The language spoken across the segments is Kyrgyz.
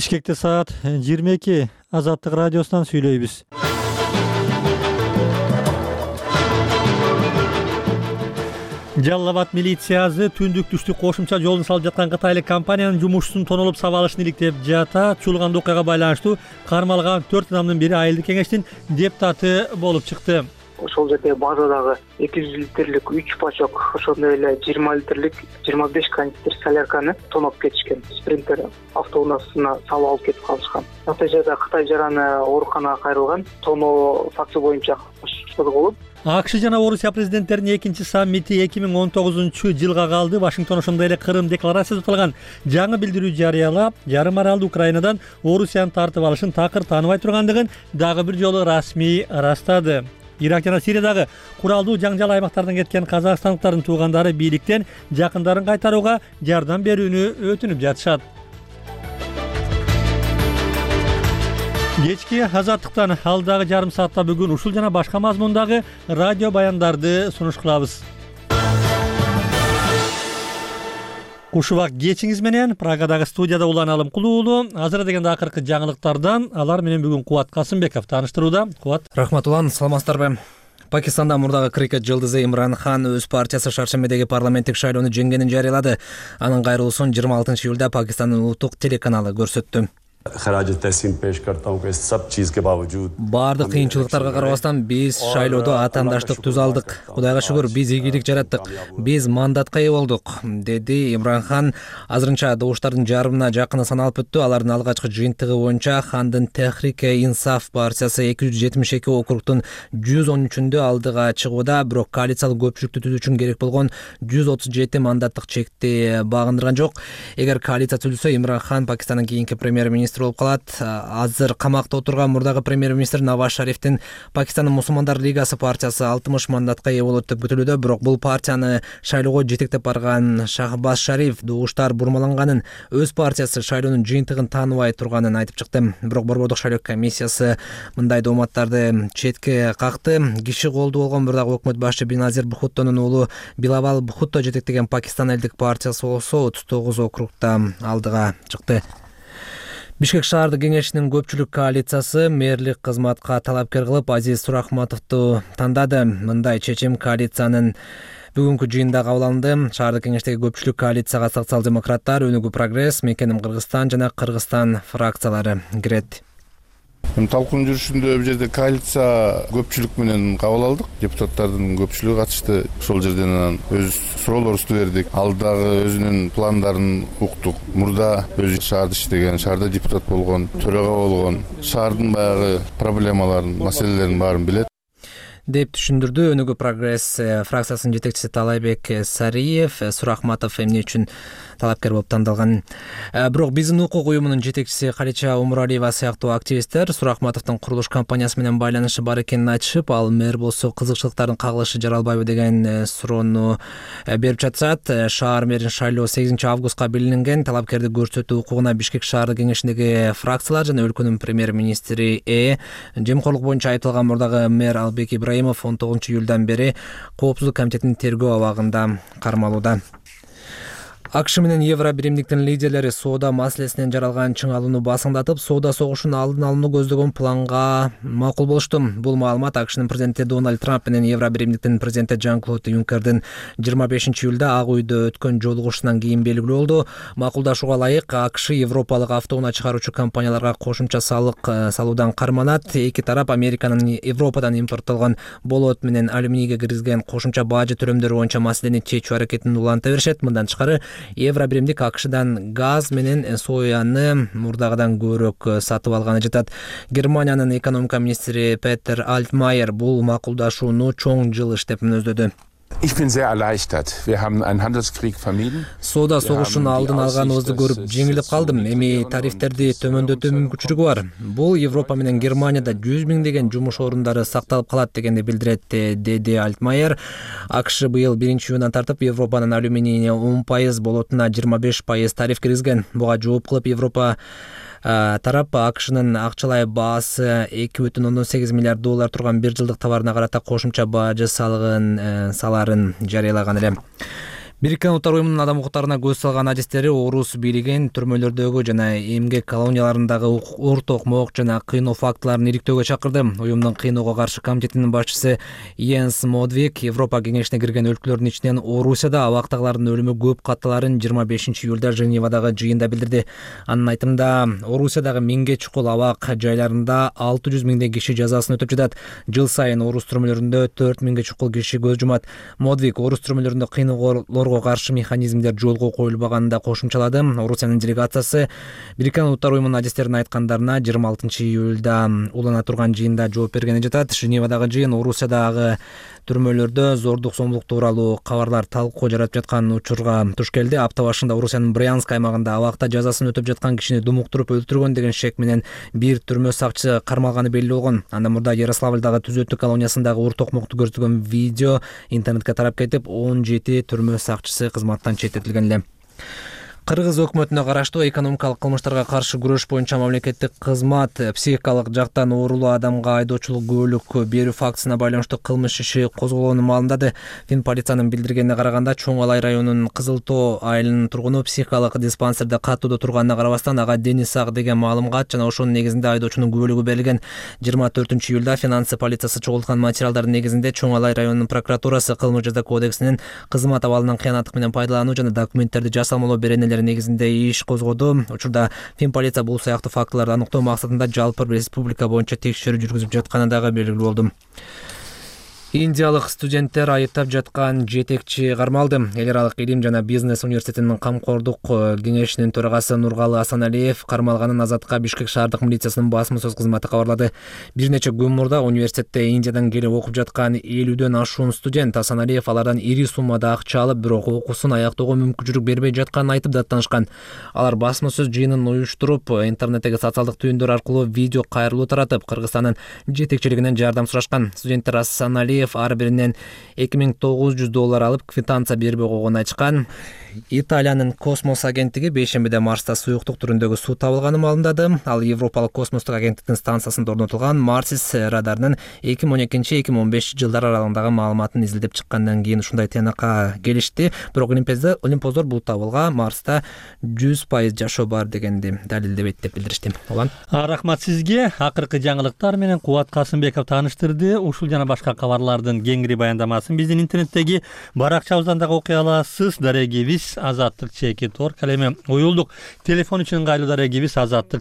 Бишкекте саат 22 Азаттык радиосунан сүйлөйбүз. Жалал Абад милициясы түндүк түштүк кошумча жолун салып жаткан кытайлык компаниянын жумушчусун тоноолоп сабап алышын иликтеп жата. Чуулган окуяга байланыштуу кармалган 4 адамдын бири айылдык кеңештин депутаты болуп чыкты. Ошол жерде базадагы 200 литрлик 3 пачок, ошондой эле 20 литрлик 25 канистр солярканы тоноп кетишкен. Спринтер автоунаасына салып алып кетип калышкан. Натыйжада Кытай жараны ооруканага кайрылган. Тоноо факти боюнча козголуп. АКШ жана Орусия президенттеринин экинчи саммити 2019-жылга калды. Вашингтон ошондой эле Кырым декларациясы аталган жаңы билдирүү жарыялап, жарым аралды Украинадан Орусияны тартып алышын такыр тааныбай тургандыгын дагы бир жолу расмий ырастады. Ирак жана Сириядагы куралдуу жаңжал аймактардан кеткен казакстандыктардын туугандары бийликтен жакындарын кайтарууга жардам берүүнү өтүнүп жатышат. Кечки Азаттыктан алдагы жарым саатта бүгүн ушул жана башка мазмундагы радио баяндарды сунуш кылабыз. Кушубак кечиңиз менен Прагадагы студияда Улан Алымкулуу уулу. Азыр дегенде акыркы жаңылыктардан алар менен бүгүн Кубат Касымбеков тааныштырууда. Кубат. Рахмат Улан, саламатсыздарбы? Пакистанда мурдагы крикет жылдызы Имран Хан өз партиясы Шаршембедеги парламенттик шайлоону жеңгенин жарыялады. Анын кайрылуусун 26-июлда Пакистандын улуттук телеканалы көрсөттү. Баардык кыйынчылыктарга карабастан биз шайлоодо атаандаштык түз алдык. Кудайга шүгүр, биз ийгилик жараттык. Биз мандатка ээ болдук, деди Имран Хан. Азырынча добуштардын жарымына жакыны саналып өттү. Алардын алгачкы жыйынтыгы боюнча Хандын Техрике-Инсаф партиясы 272 округтун 113-үндө алдыга чыгууда, бирок коалициялык көпчүлүктү түзүү үчүн керек болгон 137 мандаттык чекти багындырган жок. Эгер коалиция түзүлсө, Имран Хан Пакистандын кийинки премьер-министр болуп калат. Азыр камакта отурган мурдагы премьер-министр Наваз Шарифтин Пакистандын Мусулмандар лигасы партиясы 60 мандатка ээ болот деп күтүлүүдө, бирок бул партияны шайлоого жетектеп барган Шахбаз Шариф добуштар бурмаланганын, өз партиясы шайлоонун жыйынтыгын тааныбай турганын айтып чыкты. Бирок Борбордук шайлоо комиссиясы мындай дооматтарды четке какты. Киши колдуу болгон бир дагы өкмөт башчы Беназир Бхуттонун уулу Билавал Бхутто жетектеген Пакистан элдик партиясы болсо 39 округда алдыга чыкты. Бишкек шаардык кеңешинин көпчүлүк коалициясы мэрлик кызматка талапкер кылып Азиз Сурахматовду тандады. Мындай чечим коалициянын бүгүнкү жыйында кабыл алынды. Шаардык кеңештеги көпчүлүк коалицияга социал-демократтар, Өнүгүү прогресс, Мекеним Кыргызстан жана Кыргызстан фракциялары кирет. Талкуун жүрүшүндө бул жерде коалиция көпчүлүк менен кабыл алдык. Депутаттардын көпчүлүгү катышты. Ошол жерден анан өз суроолорубузду бердик. Алдагы өзүнүн пландарын уктук. Мурда өзү шаарда иштеген, шаарда депутат болгон, төрага болгон, шаардын баягы проблемаларын, маселелерин баарын билет деп түшүндүрдү Өнүгүү прогресс фракциясынын жетекчиси Талайбек Сариев. Сурахматов эмне үчүн талапкер болуп тандалган? Бирок биздин укук уюмунун жетекчиси Калича Умуралиева сыяктуу активисттер Сурахматовдун курулуш компаниясы менен байланышы бар экенин айтышып, ал мэр болсо кызыкчылыктардын кагылышы жаралбайбы деген суроону берип жатышат. Шаар мэрин шайлоо 8 августка белгиленген. Талапкерди көрсөтүү укугуна Бишкек шаардык кеңешиндеги фракциялар жана өлкөнүн премьер-министри жемкорлук боюнча айыпталган мурдагы мэр Албек Ибраимов 19-июлдан бери Коопсуздук комитетинин тергөө абагында кармалууда. АКШ менен Евро биримдиктин лидерлери соода маселесинен жаралган чыңалууну басыңдатып, соода согушунун алдын алууну көздөгөн планга макул болушту. Бул маалымат АКШнын президенти Дональд Трамп менен Евро биримдиктин президенти Жан-Клод Юнкердин 25-июлда Ак үйдө өткөн жолугушуунан кийин белгилүү болду. Макулдашууга ылайык АКШ Европалык автоунаа чыгаруучу компанияларга кошумча салык салуудан карманат. Эки тарап Американын Европадан импорттолгон болот менен алюминийге киргизген кошумча бажы төлөмдөрү боюнча маселени чечүү аракетин уланта беришет. Мындан тышкары Евро биримдик АКШдан газ менен сояны мурдагыдан көбүрөөк сатып алганы жатат. Германиянын экономика министри Петер Альтмайер бул макулдашууну чоң жылыш деп мүнөздөдү. Соода согушунун алдын алганыбызды көрүп жеңилип калдым. Эми тарифтерди төмөндөтүү мүмкүнчүлүгү бар. Бул Европа менен Германияда 100 миңдеген жумуш орундары сакталып калат дегенди билдирет, деди Альтмайер. АКШ быйыл 1-июндан тартып Европанын алюминийине 10%, болотуна 25% тариф киргизген. Буга жооп кылып Европа тарап АКШнын акчалай баасы 2,8 миллиард доллар турган бир жылдык товарына карата кошумча бажы салыгын саларын жарыялаган эле. Бириккен Улуттар уюмунун адам укуктарына көз салган адистери орус бийлигин түрмөлөрдөгү жана эмгек колонияларындагы урт окмок жана кыйноо фактыларын иликтөөгө чакырды. Уюмдун кыйноого каршы комитетинин башчысы Йенс Модвик Европа кеңешине кирген өлкөлөрдүн ичинен Орусияда абактагылардын өлүмү көп катталарын 25-июлда Женевадагы жыйында билдирди. Анын айтымында Орусиядагы миңге чукул абак жайларында 600 миңдей киши жазасын өтөп жатат. Жыл сайын орус түрмөлөрүндө 4 миңге чукул киши көз жумат. Модвик орус түрмөлөрүндө кыйноолорго каршы механизмдер жолго коюлбаганын да кошумчалады. Орусиянын делегациясы Бириккен Улуттар уюмунун адистеринин айткандарына 26-июлда улана турган жыйында жооп бергени жатат. Женевадагы жыйын Орусиядагы түрмөлөрдө зордук зомбулук тууралуу кабарлар талкуу жаратып жаткан учурга туш келди. Апта башында Орусиянын Брянск аймагында абакта жазасын өтөп жаткан кишини думуктуруп өлтүргөн деген шек менен бир түрмө сакчысы кармалганы белгилүү болгон. Андан мурда Ярославлдагы түзөтүү колониясындагы урт окмокту көрсөткөн видео интернетке тарап кетип, 17 түрмө сакчысы кызматтан четтетилген эле. Кыргыз өкмөтүнө караштуу экономикалык кылмыштарга каршы күрөш боюнча мамлекеттик кызмат психикалык жактан оорулуу адамга айдоочулук күбөлүк берүү фактысына байланыштуу кылмыш иши козголгонун маалымдады. Фин полициянын билдиргенине караганда, Чоң Алай районунун Кызыл Тоо айылынын тургуну психикалык диспансерде каттоодо турганына карабастан ага дени сак деген маалымат жана ошонун негизинде айдоочунун күбөлүгү берилген. 24-июлда финансы полициясы чогулткан материалдардын негизинде Чоң Алай районунун прокуратурасы кылмыш жаза кодексинин кызмат абалынан кыянаттык менен пайдалануу жана документтерди жасалмалоо беренелери негизинде иш козгоду. Учурда Фин полиция бул сыяктуу фактыларды аныктоо максатында жалпы республика боюнча текшерүү жүргүзүп жатканы дагы белгилүү болду. Индиялык студенттер айыптап жаткан жетекчи кармалды. Эл аралык илим жана бизнес университетинин камкордук кеңешинин төрагасы Нургалы Асаналиев кармалганын Азатка Бишкек шаардык милициясынын басма сөз кызматы кабарлады. Бир нече күн мурда университетте Индиядан келип окуп жаткан 50дөн ашуун студент Асаналиев алардан ири суммада акча алып, бирок окуусун аяктоого мүмкүнчүлүк бербей жатканын айтып даттанышкан. Алар басма сөз жыйынын уюштуруп, интернеттеги социалдык түйүндөр аркылуу видео кайрылуу таратып, Кыргызстандын жетекчилигинен жардам сурашкан. Студенттер Асаналиев ар биринен $2900 алып, квитанция бербей койгонун айтышкан. Италиянын космос агенттиги бейшембиде Марста суюктук түрүндөгү суу табылганын маалымдады. Ал Европалык космостук агенттиктин станциясында орнотулган Марсис радарынын 2012-2015 жылдар аралыгындагы маалыматын изилдеп чыккандан кийин ушундай тыянакка келишти. Бирок олимпоздор бул табылга Марста 100% жашоо бар дегенди далилдебейт деп билдиришти. Улан. Рахмат сизге. Акыркы жаңылыктар менен Кубат Касымбеков тааныштырды. Ушул жана башка кабарлардын кеңири баяндамасын биздин интернеттеги баракчабыздан дагы окуй аласыз. Дарегибиз Азаттык _org эми уюлдук телефон үчүн ыңгайлуу дарегибиз Азаттык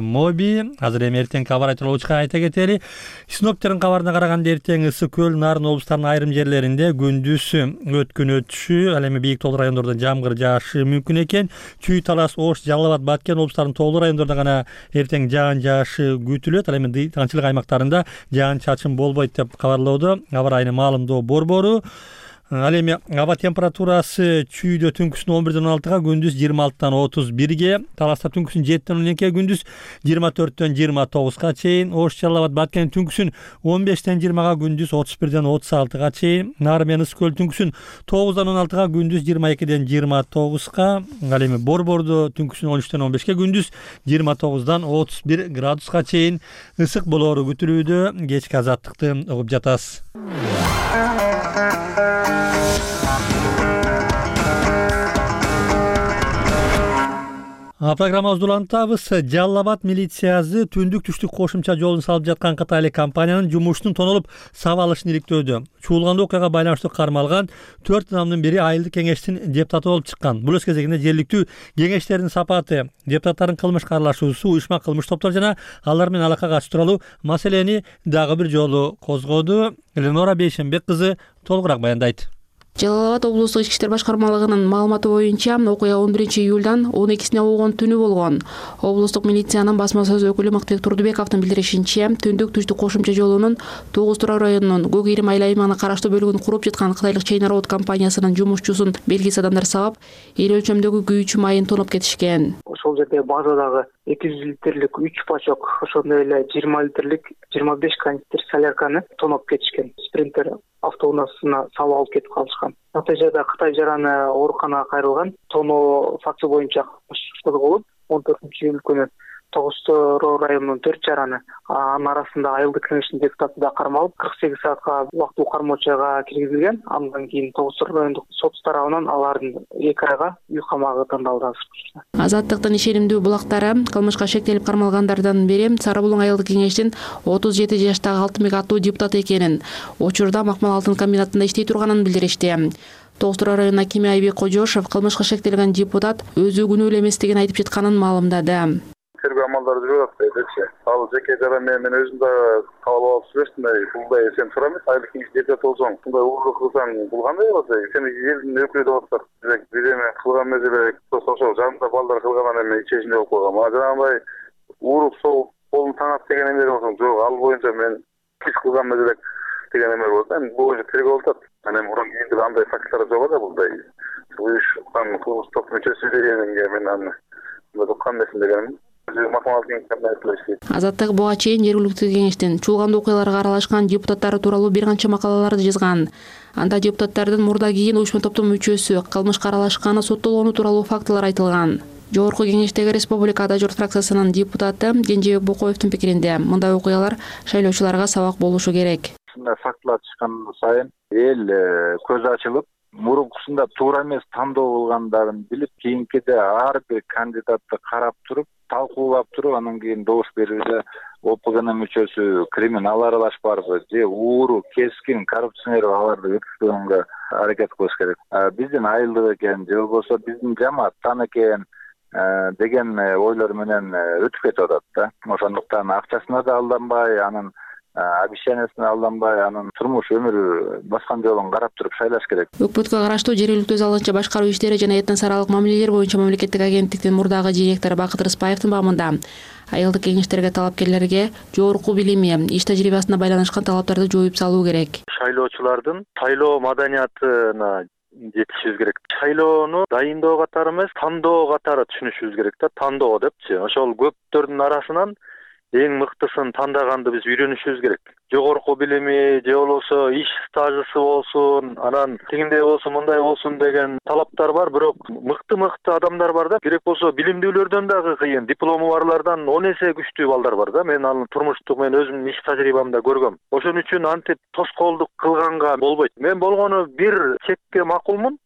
_моби. Азыр эми эртең кабар айтылуучуга айта кетели. Синоптиктердин кабарына караганда эртең ысык көл, Нарын облустарынын айрым жерлеринде күндүз өткүнөтүшү, ал эми бийик тоолуу райондордо жамгыр жаашы мүмкүн экен. Чүй, Талас, Ош, Жалал Абад, Баткен облустарынын тоолуу райондордо гана эртең жаан жаашы күтүлөт. Ал эми тыгынчылык аймактарында жаан чачын болбойт деп кабарлоодо аба райынын маалымдоо борбору. Ал эми аба температурасы Чүйдө түнкүсүн 11ден 16га, күндүз 26дан 31ге, Таласта түнкүсүн 7ден 12ге, күндүз 24дөн 29га чейин, Ош, Жалал Абад, Баткен түнкүсүн 15ден 20га, күндүз 31ден 36га чейин, Нары менен Ысык көл түнкүсүн 9дан 16га, күндүз 22ден 29га, ал эми Борбордо түнкүсүн 13ден 15ге, күндүз 29дан 31 градуска чейин ысык болоору күтүлүүдө. Кечки азаттыкты угуп жатасыз. Программабызды улантабыз. Жалал Абад милициясы түндүк-түштүк кошумча жолун салып жаткан кытайлык компаниянын жумушунун тонолуп сабалышын иликтөөдө. Чуулган окуяга байланыштуу кармалган 4 адамдын бири айылдык кеңештин депутаты болуп чыккан. Бул өз кезегинде жергиликтүү кеңештердин сапаты, депутаттардын кылмышка аралашуусу, уюшма кылмыш топтор жана алар менен алака катыш тууралуу маселени дагы бир жолу козгоду. Эленора Бейшембек кызы толугураак баяндайт. Жалал Абад облустук ички иштер башкармалыгынын маалыматы боюнча, окуя 11-июлдан 12-сине болгон түнү болгон. Облустук милициянын басма сөз өкүлү Мактыбек Турдубековдун билдиришинче, түндүк-түштүк кошумча жолунун 9 Турак районунун Көк Ирим айыл аймагына караштуу бөлүгүн куруп жаткан кытайлык Chain Road компаниясынын жумушчусун белгисиз адамдар сабап, эл өлчөмдөгү күйүүчү майын тоноп кетишкен. Ошол жерде базадагы 200 литрлик 3 пачок, ошондой эле 20 литрлик 25 канистр солярканы тоноп кетишкен. Спринтер автоунаасына салып алып кетип калышкан. Натыйжада Кытай жараны ооруканага кайрылган. Тоноо фактысы боюнча кылмыш иштери болуп, 14-июль күнү Тогуз-Тороо районунун 4 жараны, анын арасында айылдык кеңештин депутаты да кармалып 48 саатка убактылуу кармоочуга киргизилген. Андан кийин Тогуз-Тороо райондук сот тарабынан алардын 2 айга үй камагы тандалды. Азаттыктын ишенимдүү булактары кылмышка шектелип кармалгандардан бери Сары Булуң айылдык кеңештин 37 жаштагы Алтынбек аттуу депутаты экенин, учурда Макмал алтын комбинатында иштей турганын билдиришти. Тогуз-Тороо районунун акими Айбек Кожошов кылмышка шектелген депутат өзү күнөөлүү эместигин айтып жатканын маалымдады. Тергөө амалдары жүрүп атпайбычы. Ал жеке жара мен өзүм да кабыл алып сүрөсүмдай булдай сен сурам эмес. Айылдык кеңеш депутаты болсоң, мындай уурдук кылсаң бул кандай болот? Сен элдин өкүлү деп атасың. Бир эме кылган эмес элек, ошол жанында балдар кылган эме ичесинде болуп калган. Мага жанагындай ууруп соғып колун таңат деген эме болсоң, жок, ал боюнча мен кич кылган эмес элек деген эме болот. Эми бул боюнча тергөө болуп атат. Анан мурун кийинде андай факттар жок эле булдай. Уюшкан кылмыштык мүчөсү дегенге мен аны уккан эмесмин дегеним. Азаттык буга чейин жергиликтүү кеңештин чуулган окуяларга аралашкан депутаттары тууралуу бир канча макалаларды жазган. Анда депутаттардын мурда кийин уюшма топтун мүчөсү кылмышка аралашканы соттолгону тууралуу фактылар айтылган. Жогорку кеңештеги Республика Ада журт фракциясынын депутаты Кенжебек Бокоевдун пикиринде мындай окуялар шайлоочуларга сабак болушу керек. Ушундай фактылар чыккан сайын эл көзү ачылып, мурункусунда туура эмес тандоо кылгандарын билип, кийинкиде ар бир кандидатты карап туруп, талкуулап туруп, анан кийин добуш берүүгө ОПГнын мүчөсү криминал аралашпарбы же ууру, кескин, коррупционер аларды өткізгөнгө аракет кылыш керек. Биздин айылдык экен, же болбосо биздин жамааттан экен деген ойлор менен өтүп кетип атат да. Ошондуктан акчасына да алданбай, анын обещаниясына алданбай, анын турмуш өмүрү баскан жолун карап туруп шайлаш керек. Өкмөткө караштуу жергиликтүү залынча башкаруу иштери жана этнос аралык мамилелер боюнча мамлекеттик агенттиктин мурдагы директору Бакыт Рыспаевдин баамында айылдык кеңештерге талапкерлерге жогорку билими, иш тажрыйбасына байланышкан талаптарды жоюп салуу керек. Шайлоочулардын шайлоо маданиятына жетишибиз керек. Шайлоону дайындоо катары эмес, тандоо катары түшүнүшүбүз керек да. Тандоо депчи. Ошол көптөрдүн арасынан эң мыктысын тандаганды биз үйрөнүшүбүз керек. Жогорку билими же болбосо иш стажысы болсун, анан тигиндей болсун, мындай болсун деген талаптар бар, бирок мыкты адамдар бар да. Керек болсо билимдүүлөрдөн дагы кыйын, диплому барлардан 10 эсе күчтүү балдар бар да. Мен аны турмуштук мен өзүмдүн иш тажрыйбамда көргөм. Ошон үчүн антип тоскоолдук кылганга болбойт. Мен болгону бир чекке макулмун.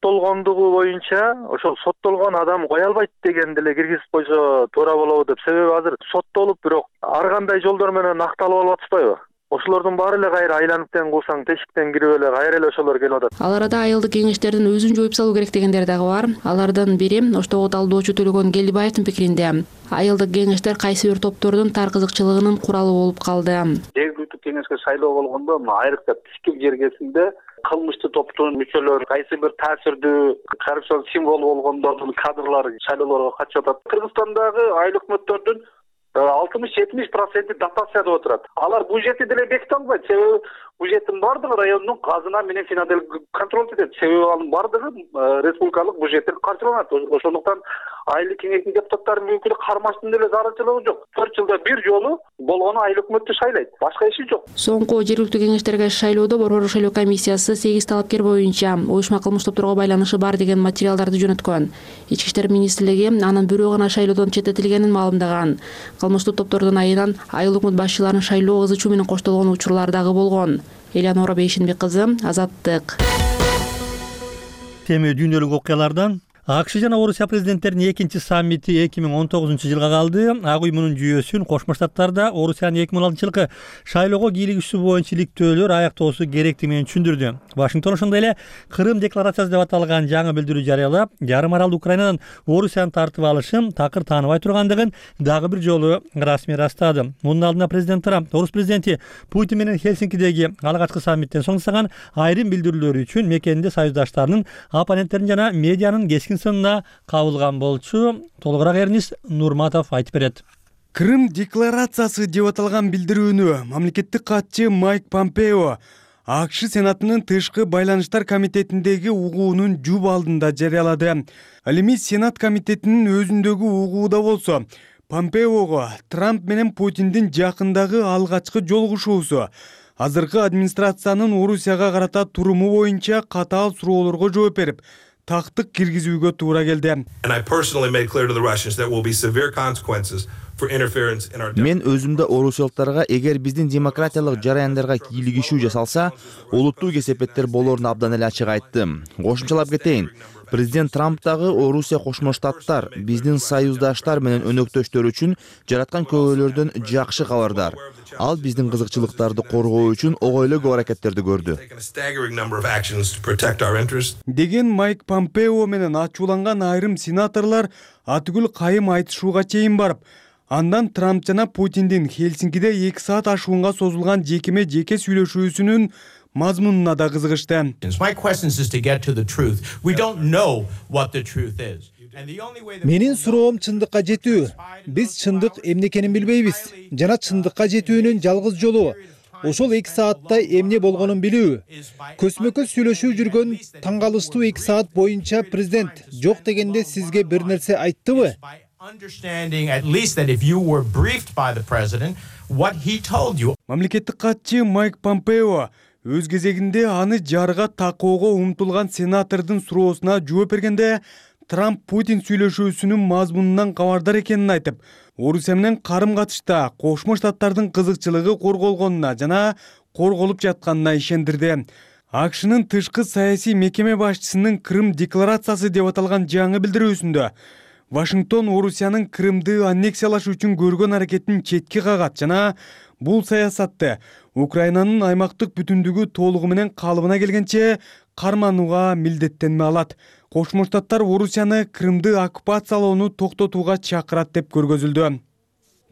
Соттолгондугу боюнча ошол соттолгон адам кое албайт дегенди эле киргизип койсо туура болобу деп. Себеби азыр соттолуп бирок ар кандай жолдор менен акталып алып атышпайбы? Ошолордун баары эле кайра айланып тең кылсаң тешиктен кирип эле кайра эле ошолор келип атат. Ал арада айылдык кеңештердин өзүн жоюп салуу керек дегендер дагы бар. Алардын бири Оштогу талдоочу Төлөгөн Келдибаевдин пикиринде айылдык кеңештер кайсы бир топтордун тар кызыкчылыгынын куралы болуп калды. Жергиликтүү кеңешке шайлоо болгондо айрыкча тишкил жергесинде кылмыштуу топтун мүчөлөрү, кайсы бир таасирдүү коррупцион символу болгондордун кадрлары шайлоолорго катышып атат. Кыргызстандагы айыл өкмөттөрдүн 60-70% дотацияда отурат. Алар бюджетти деле беките албайт. Себеби бюджеттин бардыгы райондун казына менен финанстык контроль этет. Себеби анын бардыгы республикалык бюджеттен каржыланат. Ошондуктан айыл кеңештин депутаттарынын өкүлү кармаштын деле зарылчылыгы жок. 4 жылда бир жолу болгону айыл өкмөттү шайлайт. Башка иши жок. Соңку жергиликтүү кеңештерге шайлоодо Борбордук шайлоо комиссиясы 8 талапкер боюнча уюшма кылмыш топторго байланышы бар деген материалдарды жөнөткөн. Ички иштер министрлиги анын бирөө гана шайлоодон четтетилгенин маалымдаган. Кылмыштуу топтордун айынан айыл өкмөт башчыларынын шайлоо ызы чуу менен коштолгон учурлар дагы болгон. Элеонора Бейшенбек кызы, Азаттык. Теми дүйнөлүк окуялардан АКШ жана Орусия президенттеринин экинчи саммити 2019-жылга калды. Ак уюмунун жүйөсүн Кошмо Штаттарда Орусиянын 2016-жылкы шайлоого кийлигишүү боюнча иликтөөлөр аяктоосу керектиги менен түшүндүрдү. Вашингтон ошондой эле Кырым декларациясы деп аталган жаңы билдирүү жарыялап, жарым аралды Украинадан Орусияны тартып алышын такыр тааныбай тургандыгын дагы бир жолу расмий ырастады. Мунун алдында президент Трамп орус президенти Путин менен Хельсинкидеги алгачкы саммиттен соң жасаган айрым билдирүүлөрү үчүн мекенинде союздаштарынын, оппоненттерин жана медианын кескин сынына кабылган болчу. Толугураак Эрнис Нурматов айтып берет. Кырым декларациясы деп аталган билдирүүнү мамлекеттик катчы Майк Помпео АКШ Сенатынын тышкы байланыштар комитетиндеги угуунун жуп алдында жарыялады. Ал эми Сенат комитетинин өзүндөгү угууда болсо, Помпеого Трамп менен Путиндин жакындагы алгачкы жолугушуусу, азыркы администрациянын Орусияга карата туруму боюнча катаал суроолорго жооп берип, тактык киргизүүгө туура келди. Мен өзүмдө орусиялыктарга эгер биздин демократиялык жараяндарга кийлигишүү жасалса, олуттуу кесепеттер болоорун абдан эле ачык айттым. Кошумчалап кетейин. Президент Трамп дагы Орусия Кошмо Штаттар биздин союздаштар менен өнөктөштөр үчүн жараткан көбөлөрдөн жакшы кабардар. Ал биздин кызыкчылыктарды коргоо үчүн огойлуу көп аракеттерди көрдү. Деген Майк Помпео менен ачууланган айрым сенаторлор атүгүл кайым айтышууга чейин барып, андан Трамп жана Путиндин Хельсинкиде 2 саат ашуунга созулган жеке сүйлөшүүсүнүн мазмунуна да кызыгышты. Менин суроом чындыкка жетүү. Биз чындык эмне экенин билбейбиз. Жана чындыкка жетүүнүн жалгыз жолу ошол 2 саатта эмне болгонун билүү. Көзмө-көз сүйлөшүү жүргөн таң калыштуу 2 саат боюнча президент жок дегенде сизге бир нерсе айттыбы? Мамлекеттик катчы Майк Помпео өз кезегинде аны жарга такоого умтулган сенатордун суроосуна жооп бергенде Трамп Путин сүйлөшүүсүнүн мазмунунан кабардар экенин айтып, Орусия менен карым-катышта Кошмо Штаттардын кызыкчылыгы корголгонуна жана корголуп жатканына ишендирди. АКШнын тышкы саясий мекеме башчысынын Крым декларациясы деп аталган жаңы билдирүүсүндө Вашингтон Орусиянын Крымды аннексиялаш үчүн көргөн аракетин четке кагат жана бул саясатты Украинанын аймактык бүтүндүгү толугу менен калыбына келгенче карманууга милдеттенме алат. Кошмо Штаттар Орусияны Крымды оккупациялоону токтотууга чакырат деп көргөзүлдү.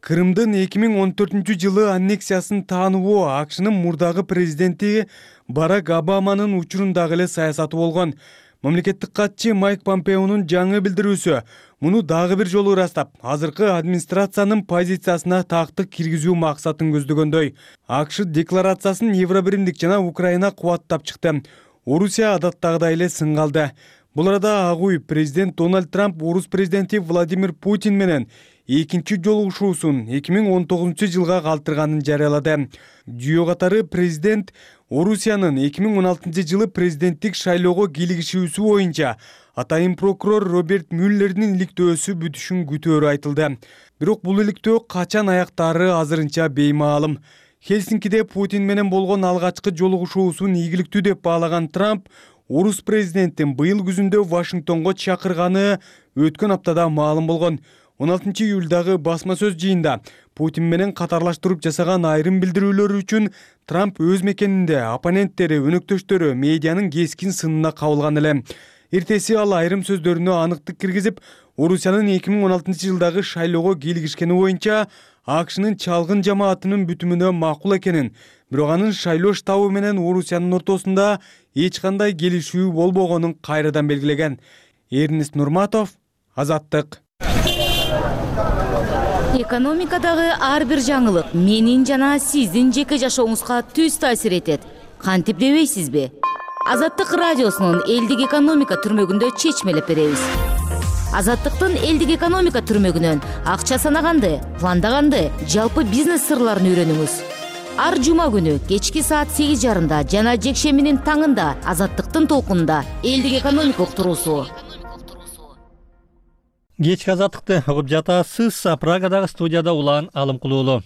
Крымдын 2014-жылы аннексиясын таануу АКШнын мурдагы президенти Барак Обаманын учурундагы эле саясаты болгон. Мамлекеттик катчы Майк Помпеонун жаңы билдирүүсү муну дагы бир жолу ырастап, азыркы администрациянын позициясына тактык киргизүү максатын көздөгөндөй. АКШ декларациясын Евробиримдик жана Украина кубаттап чыкты. Орусия адаттагыдай эле сынга алды. Бул арада агуй президент Дональд Трамп орус президенти Владимир Путин менен экинчи жолугушуусун 2019-жылга калтырганын жарыялады. Жүйө катары президент Орусиянын 2016-жылы президенттик шайлоого кийлигишүүсү боюнча атайын прокурор Роберт Мюллердин иликтөөсү бүтүшүн күтөөрү айтылды. Бирок бул иликтөө качан аяктаары азырынча беймаалым. Хельсинкиде Путин менен болгон алгачкы жолугушуусун ийгиликтүү деп баалаган Трамп орус президентин быйыл күзүндө Вашингтонго чакырганы өткөн аптада маалым болгон. 16-июлдагы басма сөз жыйында Путин менен катарлаштырып жасаган айрым билдирүүлөр үчүн Трамп өз мекенинде оппоненттери, өнөктөштөрү медианын кескин сынына кабылган эле. Эртеси ал айрым сөздөрүнө аныктык киргизип, Орусиянын 2016-жылдагы шайлоого кийлигишкени боюнча АКШнын чалгын жамаатынын бүтүмүнө макул экенин, бирок анын шайлоо штабы менен Орусиянын ортосунда эч кандай келишүү болбогонун кайрадан белгилеген. Эрнест Нурматов, Азаттык. Экономикадагы ар бир жаңылык менин жана сиздин жеке жашооңузга түз таасир этет. Кантип дебейсизби? Азаттык радиосунун элдик экономика түрмөгүндө чечмелеп беребиз. Азаттыктын элдик экономика түрмөгүнөн акча санаганды, пландаганды, жалпы бизнес сырларын үйрөнүңүз. Ар жума күнү кечки саат 8:30 жана жекшембинин таңында Азаттыктын толкунунда элдик экономика уктуруусу. Кечки азаттыкты угуп жатасыз. Прагадагы студияда Улан Алымкулуулу.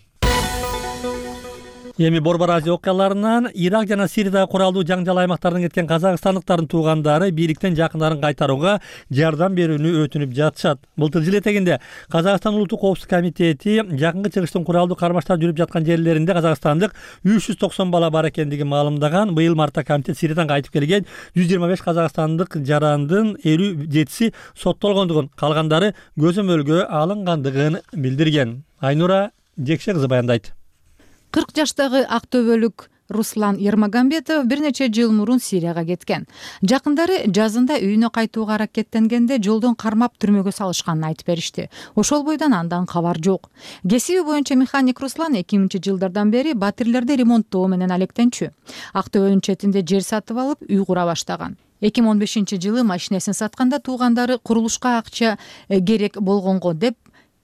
Эми Борбор Азия окуяларынан Ирак жана Сириядагы куралдуу жаңжал аймактардан кеткен казакстандыктардын туугандары бийликтен жакындарын кайтарууга жардам берүүнү өтүнүп жатышат. Былтыр жыл этегинде Казакстан Улуттук коопсуздук комитети жакынкы чыгыштын куралдуу кармаштар жүрүп жаткан жерлеринде казакстандык 390 бала бар экендигин маалымдаган. Быйыл мартта комитет Сириядан кайтып келген 125 казакстандык жарандын 57си соттолгондугун, калгандары көзөмөлгө алынгандыгын билдирген. Айнура Жекше кызы баяндайт. 40 жаштагы Актөбөлүк Руслан Ермагамбетов бир нече жыл мурун Сирияга кеткен. Жакындары жазында үйүнө кайтууга аракеттенгенде жолдон кармап түрмөгө салышканын айтып беришти. Ошол бойдон андан кабар жок. Кесиби боюнча механик Руслан 2000-жылдардан бери батирлерди ремонттоо менен алектенчү. Актөбөнүн четинде жер сатып алып, үй кура баштаган. 2015-жылы машинесин сатканда туугандары курулушка акча керек болгонго деп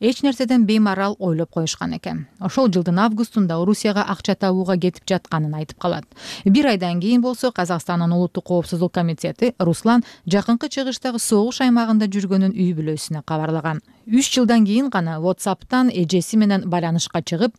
эч нерседен беймарал ойлоп коюшкан экен. Ошол жылдын августунда Орусияга акча табууга кетип жатканын айтып калат. Бир айдан кийин болсо Казакстандын улуттук коопсуздук комитети Руслан жакынкы чыгыштагы согуш аймагында жүргөнүн үй бүлөсүнө кабарлаган. 3 жылдан кийин гана WhatsApp'тан эжеси менен байланышка чыгып,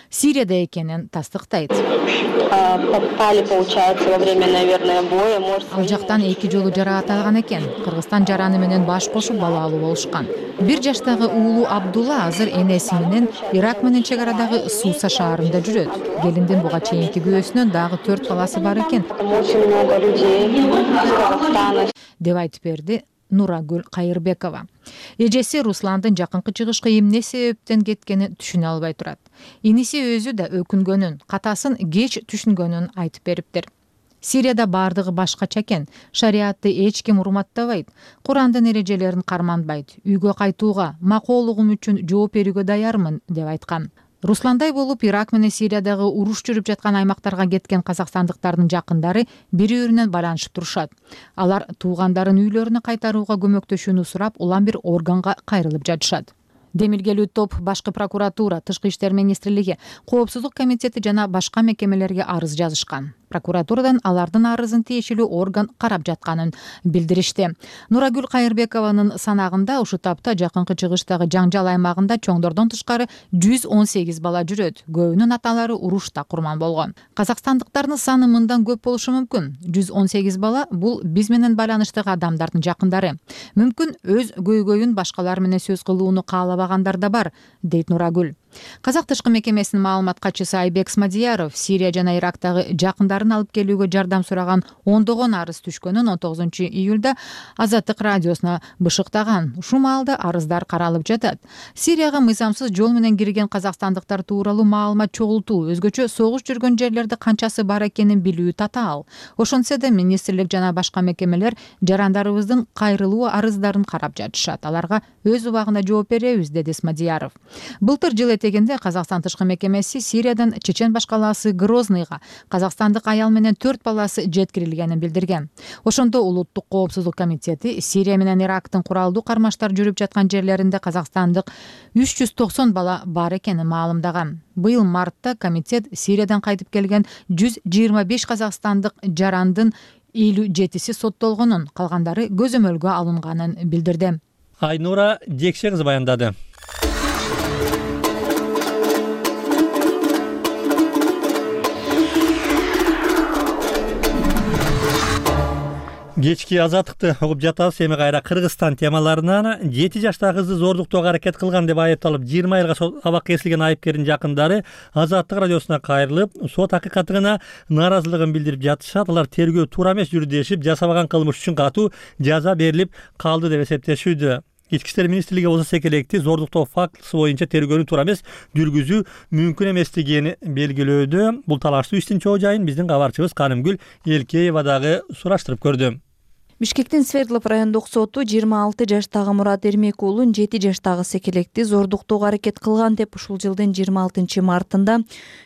Сирияда экенин тастыктайт. Попали, получается, во время, наверное, боя. Ал жактан 2 жолу жараат алган экен. Кыргызстан жараны менен баш кошуп балалуу болушкан. 1 жаштагы уулу Абдулла азыр энеси менен Ирак менен чек арадагы Суса шаарында жүрөт. Келиндин буга чейинки күйөөсүнөн дагы 4 баласы бар экен. Очень много людей из Казахстана. Деп айтып берди Нурагүл Кайырбекова. Эжеси Русландын жакынкы чыгышка эмне себептен кеткенин түшүнө албай турат. Иниси өзү да өкүнгөнүн, катасын кеч түшүнгөнүн айтып бериптир. Сирияда бардыгы башкача экен. Шариатты эч ким урматтабайт. Курандын эрежелерин карманбайт. Үйгө кайтууга, макоолугум үчүн жооп берүүгө даярмын деп айткан. Русландай болуп Ирак менен Сириядагы уруш жүрүп жаткан аймактарга кеткен казакстандыктардын жакындары бири-биринен байланышып турушат. Алар туугандарын үйлөрүнө кайтарууга көмөктөшүүнү сурап, улам бир органга кайрылып жатышат. Демилгелүү топ Башкы прокуратура, Тышкы иштер министрлиги, Коопсуздук комитети жана башка мекемелерге арыз жазышкан. Прокуратурадан алардын арызын тиешелүү орган карап жатканын билдиришти. Нурагүл Кайырбекованын санагында ушул тапта жакынкы чыгыштагы жаңжал аймагында чоңдордон тышкары 118 бала жүрөт. Көбүнүн аталары урушта курман болгон. Казакстандыктардын саны мындан көп болушу мүмкүн. 118 бала бул биз менен байланыштагы адамдардын жакындары. Мүмкүн өз көйгөйүн башкалар менен сөз кылууну каалабагандар да бар, дейт Нурагүл. Казак тышкы мекемесинин маалымат катчысы Айбек Смадияров Сирия жана Ирактагы жакындарын алып келүүгө жардам сураган ондогон арыз түшкөнүн 19 июлда Азаттык радиосуна бышыктаган. Ушул маалда арыздар каралып жатат. Сирияга мыйзамсыз жол менен кирген казакстандыктар тууралуу маалымат чогултуу, өзгөчө согуш жүргөн жерлерде канчасы бар экенин билүү татаал. Ошентсе да министрлик жана башка мекемелер жарандарыбыздын кайрылуу арыздарын карап жатышат. Аларга өз убагында жооп беребиз, деди Смадияров. Былтыр жыл этегенде Казакстан тышкы мекемеси Сириядан чечен башкаласы Грозныйга казакстандык аял менен 4 баласы жеткирилгенин билдирген. Ошондо улуттук коопсуздук комитети Сирия менен Ирактын куралдуу кармаштар жүрүп жаткан жерлеринде казакстандык 390 бала бар экенин маалымдаган. Быйыл мартта комитет Сириядан кайтып келген 125 казакстандык жарандын 57си соттолгонун, калгандары көзөмөлгө алынганын билдирди. Айнура Жекше кызы баяндады. Кечки азаттыкты угуп жатабыз. Эми кайра Кыргызстан темаларынан 7 жаштагы кызды зордуктоого аракет кылган деп айыпталып 20 айга абак кесилген айыпкердин жакындары Азаттык радиосуна кайрылып, сот акыйкатына нааразылыгын билдирип жатышат. Алар тергөө туура эмес жүрдү дешип, жасабаган кылмыш үчүн катуу жаза берилип калды деп эсептешүүдө. Ички иштер министрлиги болсо секелекти зордуктоо фактысы боюнча тергөөнү туура эмес жүргүзүү мүмкүн эместигин белгилөөдө. Бул талаштуу иштин чоо жайын биздин кабарчыбыз Канымгүл Элкеева дагы сураштырып көрдү. Бишкектин Свердлов райондук соту 26 жаштагы Мурат Эрмек уулун 7 жаштагы секелекти зордуктоого аракет кылган деп ушул жылдын 26 мартында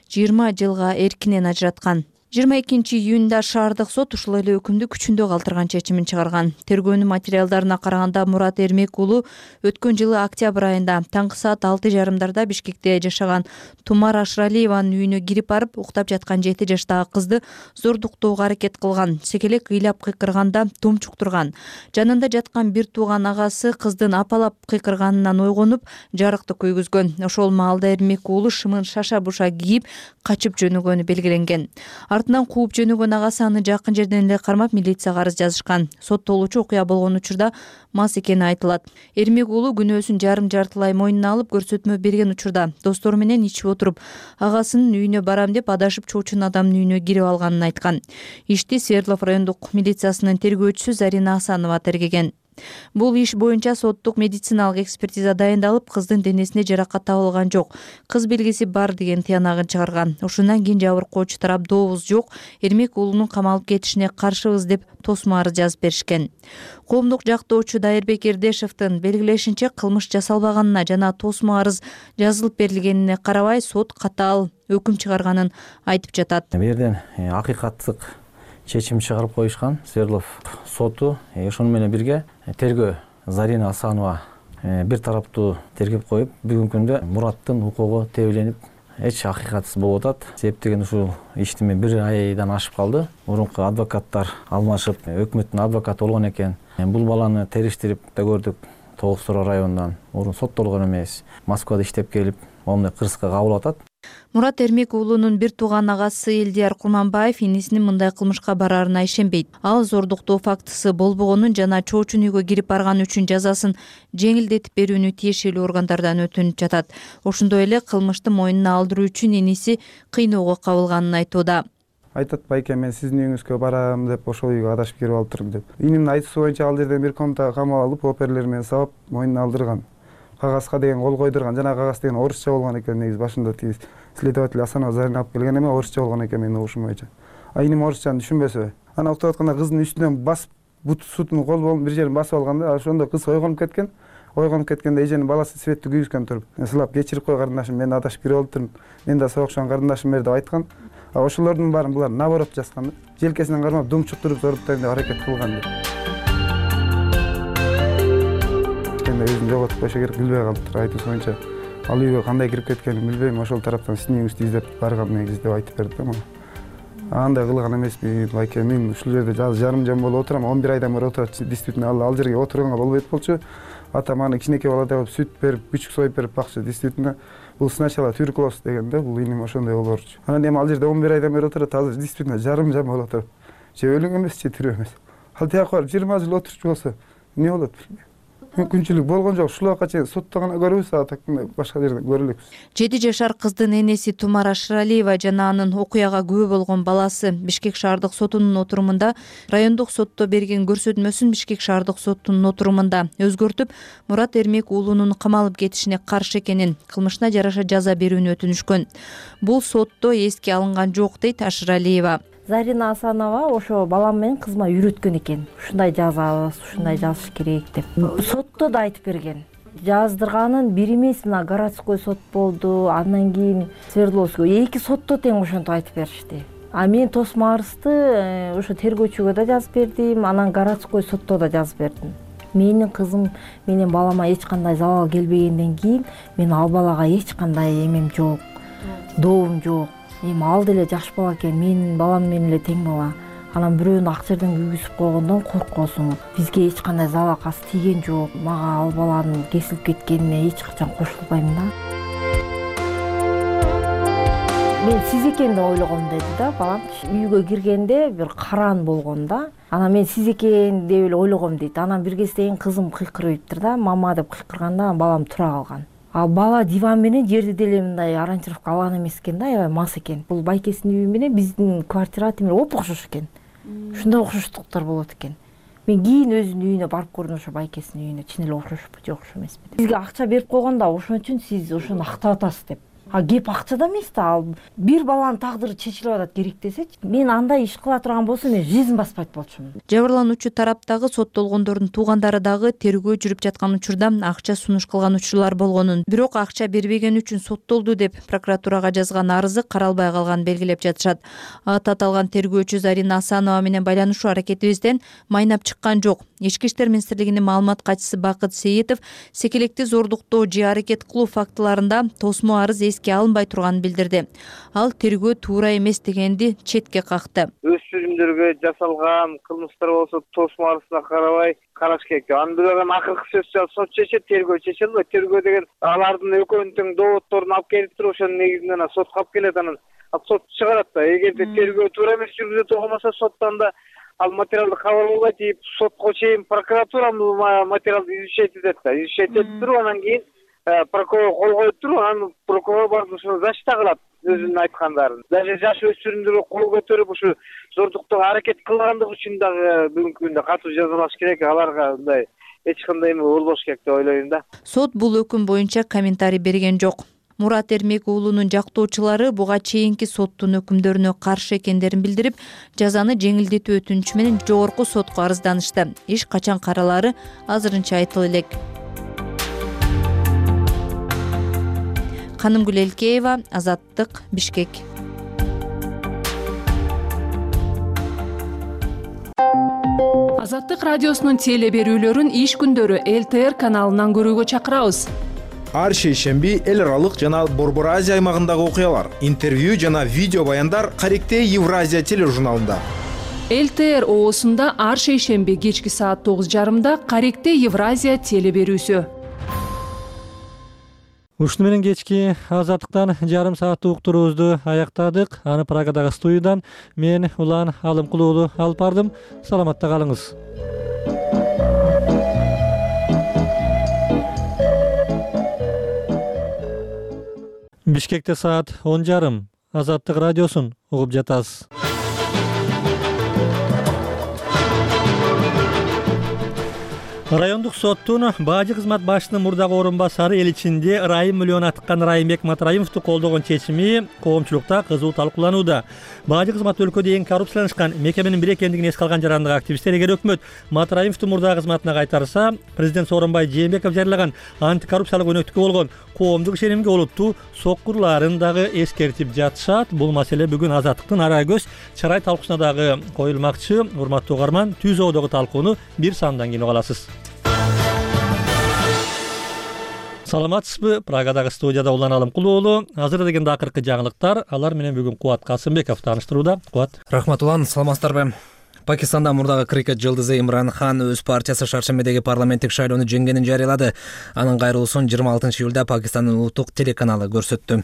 20 жылга эркинен ажыраткан. 22 июнда шаардык сот ушул эле өкүмдү күчүндө калтырган чечимин чыгарган. Тергөөнүн материалдарына караганда Мурат Эрмек уулу өткөн жылы октябрь айында таңкы саат 6:30 Бишкекте жашаган Тумар Ашралиеванын үйүнө кирип барып, уктап жаткан 7 жаштагы кызды зордуктоого аракет кылган. Секелек ыйлап кыйкырганда тумчуктурган. Жанында жаткан бир тууган агасы кыздын апалап кыйкырганынан ойгонуп, жарыкты көйгүзгөн. Ошол маалда Эрмек уулу шымын шаша-буша кийип качып жөнөгөнү белгиленген. Артынан кууп жөнөгөн агасы аны жакын жерден эле кармап милицияга арыз жазышкан. Соттолуучу окуя болгон учурда мас экени айтылат. Эрмек уулу күнөөсүн жарым-жартылай мойнуна алып көрсөтмө берген учурда достору менен ичип отуруп, агасынын үйүнө барам деп адашып чоочун адамдын үйүнө кирип алганын айткан. Ишти Свердлов райондук милициясынын тергөөчүсү Зарина Асанова тергеген. Бул иш боюнча соттук медициналык экспертиза дайындалып, кыздын денесине жаракат табылган жок. Кыз белгиси бар деген тыянагын чыгарган. Ошондон кийин жабыркоочу тарап добуз жок, Эрмек уулунун камалып кетишине каршыбыз деп тосмо арыз жазып беришкен. Коомдук жактоочу Дайырбек Эрдешевдин белгилешинче, кылмыш жасалбаганына жана тосмо арыз жазылып берилгенине карабай сот катаал өкүм чыгарганын айтып жатат. Бу жерден акыйкаттык чечим чыгарып коюшкан. Свердлов соту ошону менен бирге тергөө Зарина Асанова бир тараптуу тергеп коюп, бүгүнкү күндө Мураттын укугу тебеленип эч акыйкатсыз болуп атат. Себеп деген ушул ишти мен 1 айдан ашып калды. Мурунку адвокаттар алмашып, өкмөттүн адвокаты болгон экен. Бул баланы териштирип да көрдүк. Тогуз Сора районунан мурун соттолгон эмес, Москвада иштеп келип, момундай кырсыкка кабыл атат. Мурат Эрмек уулунун бир тууган агасы Элдияр Курманбаев инисинин мындай кылмышка барарына ишенбейт. Ал зордуктоо фактысы болбогонун жана чоочун үйгө кирип барган үчүн жазасын жеңилдетип берүүнү тиешелүү органдардан өтүнүп жатат. Ошондой эле кылмышты мойнуна алдыруу үчүн иниси кыйноого кабылганын айтууда. Айтат, байке, мен сиздин үйүңүзгө барам деп, ошол үйгө адашып кирип алыптырмын деп. Инимдин айтуусу боюнча ал жерден бир комнатага камап алып, оперлер менен сабап, мойнуна алдырган. Кагазга деген кол койдурган. Жана кагаз деген орусча болгон экен, негизи башында тиги следователь Асанова Зарина алып келген эме орусча болгон экен менин угушум боюнча. Иним орусчаны түшүнбөсө, ана уктап атканда кыздын үстүнөн басып, бутусунун кол болуп бир жерин басып алганда, ошондо кыз ойгонуп кеткен. Ойгонуп кеткенде эженин баласы светти күйгүзгөн туруп, сылап кечирип кой карындашым, мен адашып кирип алыптырмын. Мен да соокшон карындашым бер деп айткан. Ошолордун баарын булар наоборот жазган. Желкесинен кармап думчуктуруп зоруптайм деп аракет кылган деп. Өзүн жоготуп койсо керек, билбей калыптыр. Айтуусу боюнча ал үйгө кандай кирип кеткенин билбейм. Ошол тараптан сиздин үйүңүздү издеп барган негизи деп айтып берди да мага. Андай кылган эмесмин, байке. Мен ушул жерде жарым жан болуп отурам. 11 айдан бери отурат. Действительно ал жерге отурганга болбойт болчу. Атам аны кичинекей баладай болуп сүт берип, күчүк союп берип бакчы. Действительно бул сначала туберкулоз дегенде, бул иним ошондой болорчу. Анан эми ал жерде 11 айдан бери отурат. Азыр действительно жарым жан болуп отуруп. Же өлүң эмес, же тирүү эмес. Ал тияка барып 20 жыл отурчу болсо эмне болот билбейм. Мүмкүнчүлүк болгон жок. Ушул убакка чейин сотто гана көрүбүз, башка жерден көрө элекпиз. 7 жашар кыздын энеси Тумара Шыралиева жана анын окуяга күбө болгон баласы Бишкек шаардык сотунун отурумунда райондук сотто берген көрсөтмөсүн Бишкек шаардык сотунун отурумунда өзгөртүп, Мурат Эрмек уулунун камалып кетишине каршы экенин, кылмышына жараша жаза берүүнү өтүнүшкөн. Бул сотто эске алынган жок, дейт Шыралиева. Зарина Асанова ошо балам менен кызыма үйрөткөн экен. Ушундай жазабыз, ушундай жазыш керек деп. Сотто да айтып берген. Жаздырганын бир эмес, мына городской сот болду, андан кийин Свердловский 2 сотто тең ошентип айтып беришти. А мен тосмо арызды ошо тергөөчүгө да жазып бердим, анан городской сотто да жазып бердим. Менин кызым менен балама эч кандай залал келбегенден кийин мен ал балага эч кандай эмем жок, доом жок. Эми ал деле жаш бала экен, менин балам менен эле тең бала. Анан бирөөнү ак жерден күйгүзүп койгондон коркосуң. Бизге эч кандай залал касы тийген жок. Мага ал баланын кесилип кеткенине эч качан кошулбайм да. Мен сиз экен деп ойлогом деди да балам. Үйгө киргенде бир караан болгон да. Анан мен сиз экен деп эле ойлогом дейт. Анан бир кезден кызым кыйкырыптыр да, мама деп кыйкырганда балам тура калган. А бала диван менен жерди деле мындай ориентировка алган эмес экен да, аябай мас экен. Бул байкесинин үйү менен биздин квартира темир оп окшош экен. Ушундай окшоштуктар болот экен. Мен кийин өзүнүн үйүнө барып көрдүм, ошо байкесинин үйүнө. Чын эле окшошпу, жок окшош эмеспи. Сизге акча берип койгон да, ошон үчүн сиз ошону актап атасыз деп. А кеп акчада эмес да, ал бир баланын тагдыры чечилип атат керек десечи, мен андай иш кыла турган болсом мен жизнь баспайт болчумун. Жабырлануучу тараптагы соттолгондордун туугандары дагы тергөө жүрүп жаткан учурда акча сунуш кылган учурлар болгонун, бирок акча бербеген үчүн соттолду деп прокуратурага жазган арызы каралбай калганын белгилеп жатышат. Аты аталган тергөөчү Зарина Асанова менен байланышуу аракетибизден майнап чыккан жок. Ички иштер министрлигинин маалымат катчысы Бакыт Сейитов секелекти зордуктоо же аракет кылуу фактыларында тосмо арыз эске алынбай турганын билдирди. Ал тергөө туура эмес дегенди четке какты. Өспүрүмдөргө жасалган кылмыштар болсо тосмо арызына карабай караш керек. Андан акыркы сөз сот чечет, тергөө чече албайт. Тергөө деген алардын экөөнүн тең доводдорун алып келип туруп, ошонун негизинен сотко алып келет, анан сот чыгарат да. Эгерде тергөө туура эмес жүргүзүлө болмосо соттан да ал материалды кабыл албайт дейт, сотко чейин прокуратура материалды изучать этет да. Изучать этип туруп, анан кийин прокурор кол коюп туруп, анан прокурор барып ушуну защита кылат өзүнүн айткандарын. Даже жаш өспүрүмдөргө кол көтөрүп ушу зордуктоого аракет кылгандыгы үчүн дагы бүгүнкү күндө катуу жазалаш керек. Аларга мындай эч кандай эме болбош керек деп ойлойм да. Сот бул өкүм боюнча комментарий берген жок. Мурат Эрмек уулунун жактоочулары буга чейинки соттун өкүмдөрүнө каршы экендерин билдирип, жазаны жеңилдетүү өтүнүчү менен жогорку сотко арызданышты. Иш качан каралары азырынча айтыла элек. Канымгүл Элкеева, Азаттык, Бишкек. Азаттык радиосунун теле берүүлөрүн иш күндөрү ЛТР каналынан көрүүгө чакырабыз. Ар шейшемби эл аралык жана Борбор Азия аймагындагы окуялар, интервью жана видео баяндар Каректе Евразия тележурналында. ЛТР оосунда ар шейшемби кечки саат 9:30 Каректе Евразия теле берүүсү. Ушуну менен кечки Азаттыктан жарым сааттык уктуруубузду аяктадык. Аны Прагадагы студиядан мен Улан Алымкул уулу алып бардым. Саламатта калыңыз. Бишкекте саат 10:30. Азаттык радиосун угуп жатасыз. Райондук соттун бажы кызмат башчысынын мурдагы орун басары эл ичинде ырайым миллион атыккан Райымбек Матраимовду колдогон чечими коомчулукта кызуу талкууланууда. Бажы кызмат өлкөдө эң коррупцияланышкан мекеменин бири экендигин эске алган жарандагы активисттер эгер өкмөт Матраимовду мурдагы кызматына кайтарса, президент Сооронбай Жээнбеков жарыялаган антикоррупциялык өнөктүккө болгон коомдук ишенимге олуттуу соккурларын дагы эскертип жатышат. Бул маселе бүгүн Азаттыктын ара көз чарай талкуусуна дагы коюлмакчы. Урматтуу угарман, түз оодогу талкууну бир сандан кийин уга аласыз. Саламатсызбы? Прагадагы студияда Улан Алымкул уулу. Азыр дегенде акыркы жаңылыктар. Алар менен бүгүн Кубат Касымбеков тааныштырууда. Кубат. Рахмат Улан, саламатсыздарбы? Пакистанда мурдагы крикет жылдызы Имран Хан өз партиясы Шаршембедеги парламенттик шайлоону жеңгенин жарыялады. Анын кайрылуусун 26 июлда Пакистандын улуттук телеканалы көрсөттү.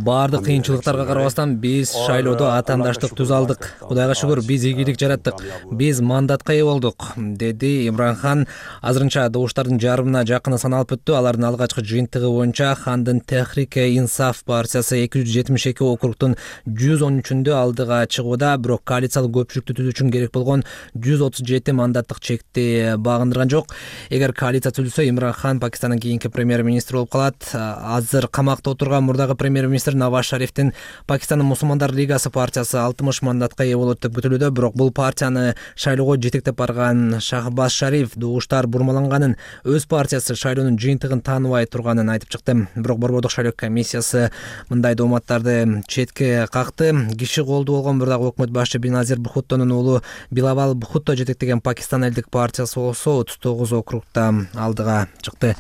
Бардык кыйынчылыктарга карабастан биз шайлоодо атаандаштык түз алдык. Кудайга шүгүр, биз ийгилик жараттык. Биз мандатка ээ болдук, деди Имран Хан. Азырынча добуштардын жарымына жакыны саналып өттү. Алардын алгачкы жыйынтыгы боюнча Хандын Техрике-Инсаф партиясы 272 округтун 113-үндө алдыга чыгууда, бирок коалициялык көпчүлүктү түзүү үчүн керек болгон 137 мандаттык чекти багындырган жок. Эгер коалиция түзүлсө, Имран Хан Пакистандын кийинки премьер-министр болуп калат. Азыр камакта отурган мурдагы премьер-министр Наваз Шарифтин Пакистандын Мусулмандар лигасы партиясы 60 мандатка ээ болот деп күтүлүүдө, бирок бул партияны шайлоого жетектеп барган Шахбаз Шариф добуштар бурмаланганын, өз партиясы шайлоонун жыйынтыгын тааныбай турганын айтып чыкты. Бирок Борбордук шайлоо комиссиясы мындай дооматтарды четке какты. Киши колду болгон мурдагы өкмөт башчы Беназир Бхуттонун уулу Билавал Бхутто жетектеген Пакистан элдик партиясы болсо 39 округта алдыга чыкты.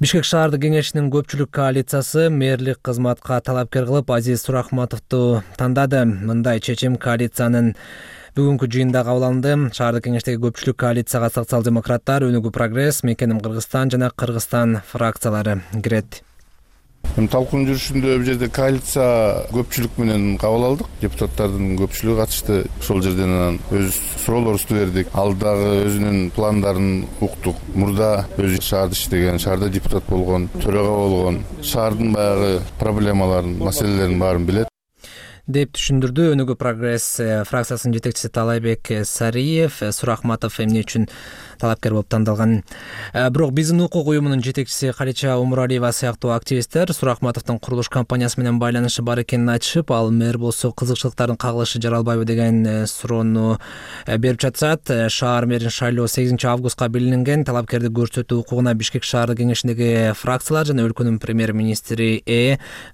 Бишкек шаардык кеңешинин көпчүлүк коалициясы мэрлик кызматка талапкер кылып Азиз Сурахматовду тандады. Мындай чечим коалициянын бүгүнкү жыйында кабыл алынды. Шаардык кеңештеги көпчүлүк коалицияга социал-демократтар, Өнүгүү прогресс, Мекеним Кыргызстан жана Кыргызстан фракциялары кирет. Талкуунун жүрүшүндө бул жерде коалиция көпчүлүк менен кабыл алдык. Депутаттардын көпчүлүгү катышты. Ошол жерден анан өз суроолорубузду бердик. Ал дагы өзүнүн пландарын уктук. Мурда өзү шаарда иштеген, шаарда депутат болгон, төрага болгон, шаардын баягы проблемаларын, маселелерин баарын билет деп түшүндүрдү Өнүгүү прогресс фракциясынын жетекчиси Талайбек Сариев. Сурахматов эмне үчүн талапкер болуп тандалган? Бирок биздин укук уюмунун жетекчиси Калича Умуралиева сыяктуу активисттер Сурахматовдун курулуш компаниясы менен байланышы бар экенин айтышып, ал мэр болсо кызыкчылыктардын кагылышы жаралбайбы деген суроону берип жатышат. Шаар мэрин шайлоо 8 августка белгиленген. Талапкерди көрсөтүү укугуна Бишкек шаардык кеңешиндеги фракциялар жана өлкөнүн премьер-министри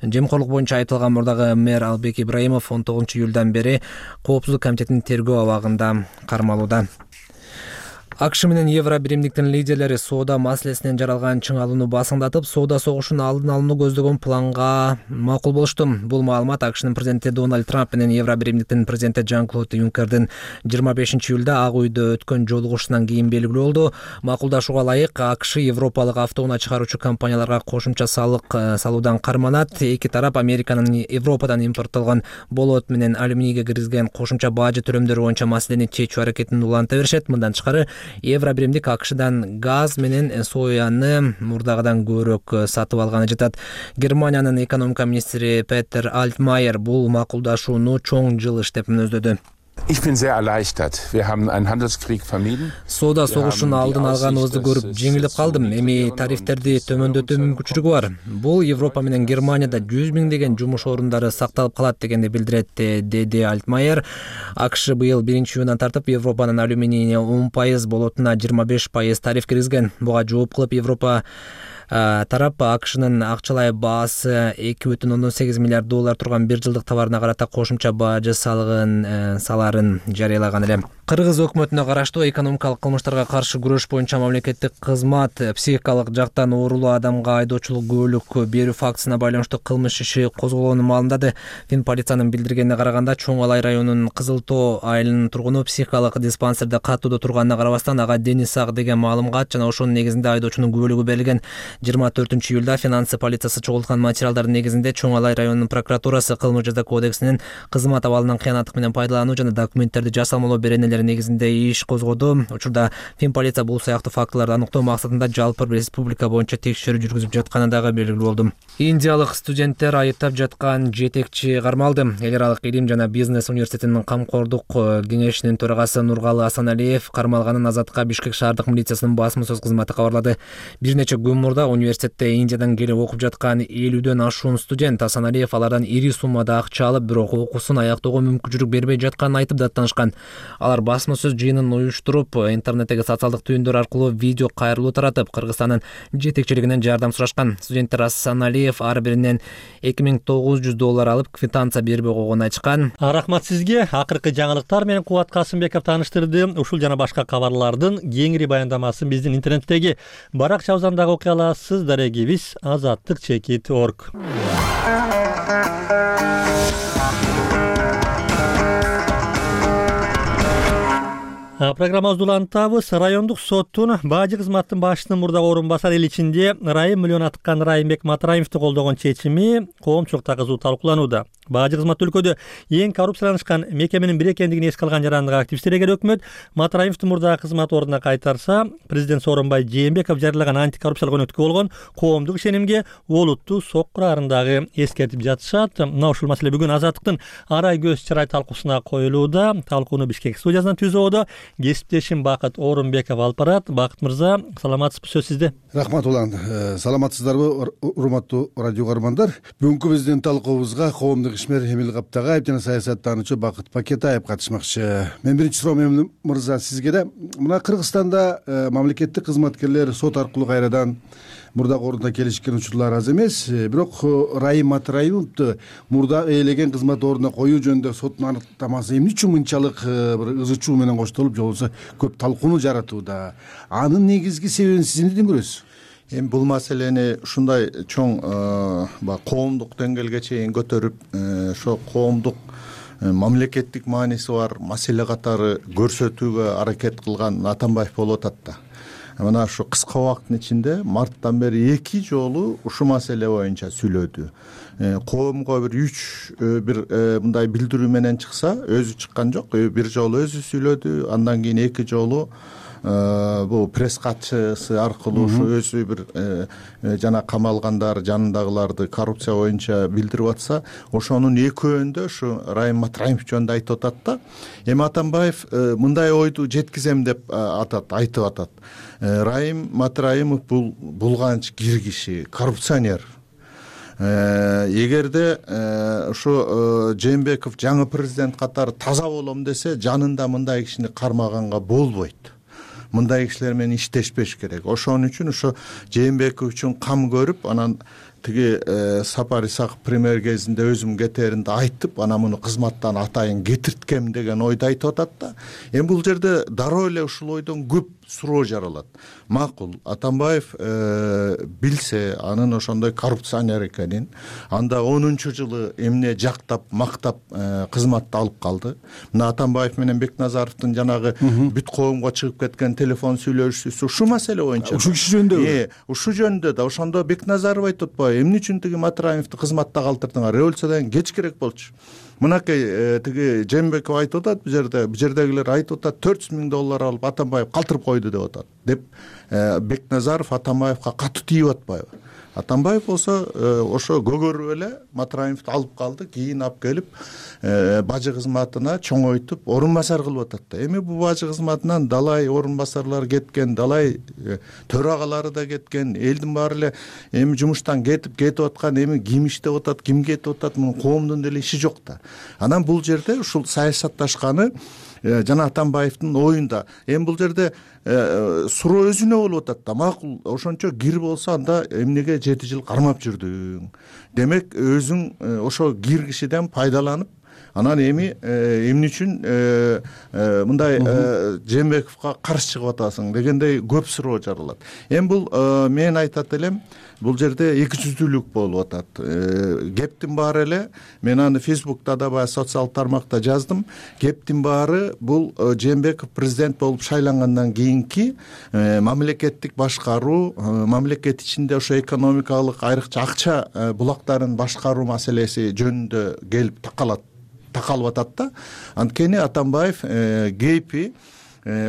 жемкорлук боюнча айыпталган мурдагы мэр Албек Ибраимов 19 июлдан бери Коопсуздук комитетинин тергөө абагында кармалууда. АКШ менен Евро биримдиктин лидерлери соода маселесинен жаралган чыңалууну басыңдатып, соода согушунун алдын алууну көздөгөн планга макул болушту. Бул маалымат АКШнын президенти Дональд Трамп менен Евро биримдиктин президенти Жан-Клод Юнкердин 25 июлда Ак үйдө өткөн жолугушуунан кийин белгилүү болду. Макулдашууга ылайык АКШ европалык автоунаа чыгаруучу компанияларга кошумча салык салуудан карманат. Эки тарап Американын Европадан импорттолгон болот менен алюминийге киргизген кошумча бажы төлөмдөрү боюнча маселени чечүү аракетин уланта беришет. Мындан тышкары Евро биримдик АКШдан газ менен сояны мурдагыдан көбүрөөк сатып алганы жатат. Германиянын экономика министри Петер Альтмайер бул макулдашууну чоң жылыш деп мүнөздөдү. Соода согушунун алдын алганыбызды көрүп жеңилип калдым. Эми тарифтерди төмөндөтүү мүмкүнчүлүгү бар. Бул Европа менен Германияда 100 миңдеген жумуш орундары сакталып калат дегенди билдирет, деди Альтмайер. АКШ быйыл 1-июндан тартып Европанын алюминийине 10%, болотуна 25% тариф киргизген. Буга жооп кылып Европа тарап АКШнын акчалай баасы $2,8 миллиард турган бир жылдык товарына карата кошумча бажы саларын жарыялаган эле. Кыргыз өкмөтүнө караштуу экономикалык кылмыштарга каршы күрөш боюнча мамлекеттик кызмат психикалык жактан оорулуу адамга айдоочулук күбөлүк берүү фактысына байланыштуу кылмыш иши козголгонун маалымдады. Фин полициянын билдиргенине караганда, Чоң Алай районунун Кызыл Тоо айылынын тургуну психикалык диспансерде катууда турганына карабастан ага дени сак деген маалымат жана ошонун негизинде айдоочунун күбөлүгү берилген. 24-июлда финансы полициясы чогулткан материалдардын негизинде Чоң Алай районунун прокуратурасы кылмыш жаза кодексинин кызмат абалынан кыянаттык менен пайдалануу жана документтерди жасалмалоо беренелери негизинде иш козгоду. Учурда Фин полиция бул сыяктуу фактыларды аныктоо максатында жалпы республика боюнча текшерүү жүргүзүп жатканы дагы белгилүү болду. Индиялык студенттер айыптап жаткан жетекчи кармалды. Эл аралык илим жана бизнес университетинин камкордук кеңешинин төрагасы Нургалы Асаналиев кармалганын Азатка Бишкек шаардык милициясынын басма сөз кызматы кабарлады. Бир нече күн мурда университетте Индиядан келип окуп жаткан 50дөн ашуун студент Асаналиев алардан ири суммада акча алып, бирок окуусун аяктоого мүмкүнчүлүк бербей жатканын айтып даттанышкан. Алар басма сөз жыйынын уюштуруп, интернеттеги социалдык түйүндөр аркылуу видео кайрылуу таратып, Кыргызстандын жетекчилигинен жардам сурашкан. Студенттер Асаналиев ар биринен $2,900 алып, квитанция бербей койгонун айтышкан. Рахмат сизге. Акыркы жаңылыктар менен Кубат Касымбеков тааныштырды. Ушул жана башка кабарлардын кеңири баяндамасын биздин интернеттеги баракча абзарында окуй аласыз. Дарегибиз azattik.org. Программабызды улантабыз. Райондук соттун бажы кызматтын башчысынын мурдагы орун басар эл ичинде Райым миллион аткан Райымбек Матраимовду колдогон чечими коомчулукта кызуу талкууланууда. Бажы кызмат өлкөдө эң коррупцияланышкан мекеменин бири экендигин эске алган жарандык активисттер эгер өкмөт Матраимовду мурдагы кызмат ордуна кайтарса, президент Сооронбай Жээнбеков жарыялаган антикоррупциялык өнөктүгө болгон коомдук ишенимге олуттуу сок курарындагы эскертип жатышат. Мына ушул маселе бүгүн Азаттыктын арай көз чырай талкуусуна коюлууда. Талкууну Бишкек студиясынан түзүүдө кесиптешим Бакыт Орунбеков алып барат. Бакыт мырза, саламатсызбы, сөз сизде. Рахмат улан. Саламатсыздарбы, урматтуу радио көрөрмандар? Бүгүнкү биздин талкуубузга коомдук ишмер Эмил Каптагаев жана саясаттануучу Бакыт Пакетаев катышмакчы. Мен биринчи суроом Эмил мырза сизге да. Мына Кыргызстанда мамлекеттик кызматкерлер сот аркылуу кайрадан мурдагы ордуна келишкен учурлар аз эмес. Бирок Райым Матраимовду мурда ээлеген кызмат ордуна коюу жөнүндө соттун аныктамасы эмне үчүн мынчалык бир ызы чуу менен коштолуп, же болбосо көп талкууну жаратууда? Анын негизги себебин сиз эмнеден көрөсүз? Эми бул маселени ушундай чоң коомдук деңгээлге чейин көтөрүп, ошо коомдук мамлекеттик мааниси бар маселе катары көрсөтүүгө аракет кылган Атамбаев болуп атат да. Мына ушу кыска убакыттын ичинде марттан бери 2 жолу ушул маселе боюнча сүйлөдү. Коомго бир мындай билдирүү менен чыкса, өзү чыккан жок, бир жолу өзү сүйлөдү, андан кийин 2 жолу бул пресс катчысы аркылуу ушу өзү бир жана камалгандар жанындагыларды коррупция боюнча билдирип атса, ошонун экөөндө ушу Райым Матраимов жөнүндө айтып атат да. Эми Атамбаев мындай ойду жеткизем деп айтып атат. Райым Матраимов бул булганч кир киши, коррупционер. Эгерде ушу Жээнбеков жаңы президент катары таза болом десе, жанында мындай кишини кармаганга болбойт. Мындай кишилер менен иштешпеш керек. Ошон үчүн ошо Жээнбеков үчүн кам көрүп, анан тиги Сапар Исаков премьер кезинде өзүм кетеринде айтып, ана муну кызматтан атайын кетирткем деген ойду айтып атат да. Эми бул жерде дароо эле ушул ойдон көп суроо жаралат. Макул, Атамбаев билсе анын ошондой коррупционер экенин, анда 10-жылы эмне жактап, мактап кызматты алып калды. Мына Атамбаев менен Бекназаровдун жанагы бүт коомго чыгып кеткен телефон сүйлөшүүсү ушу маселе боюнча. Ушу киши жөнүндө. Ушу жөнүндө да ошондо Бекназаров айтып атпайбы, эмне үчүн тиги Матраимовду кызматта калтырдыңар? Революциядан кеч керек болчу. Мынакей тиги Жээнбеков айтып атат, бу жердегилер айтып атат, $400,000 алып Атамбаев калтырып койду деп атат. Деп Бекназаров Атамбаевга катуу тийип атпайбы? Атамбаев болсо ошо көгөрүп эле Матраимовду алып калды, кийин алып келип бажы кызматына чоңойтуп орун басар кылып атат да. Эми бул бажы кызматынан далай орун басарлар кеткен, далай төрагалары да кеткен, элдин баары эле эми жумуштан кетип аткан, эми ким иштеп атат, ким кетип атат, мунун коомдун деле иши жок да. Анан бул жерде ушул саясатташканы жана Атамбаевдин оюнда. Эми бул жерде суроо өзүнө болуп атат да, макул ошончо кир болсо анда эмнеге 7 жыл кармап жүрдүң? Демек өзүң ошо кир кишиден пайдаланып, анан эми эмне үчүн мындай Жээнбековго каршы чыгып атасың дегендей көп суроо жаралат. Эми бул мен айтат элем, бул жерде эки жүздүүлүк болуп атат. Кептин баары эле, мен аны Фейсбукта да баягы социалдык тармакта жаздым. Кептин баары бул Жээнбеков президент болуп шайлангандан кийинки мамлекеттик башкаруу, мамлекет ичинде ошо экономикалык айрыкча акча булактарын башкаруу маселеси жөнүндө келип такалып атат да. Анткени Атамбаев кейпи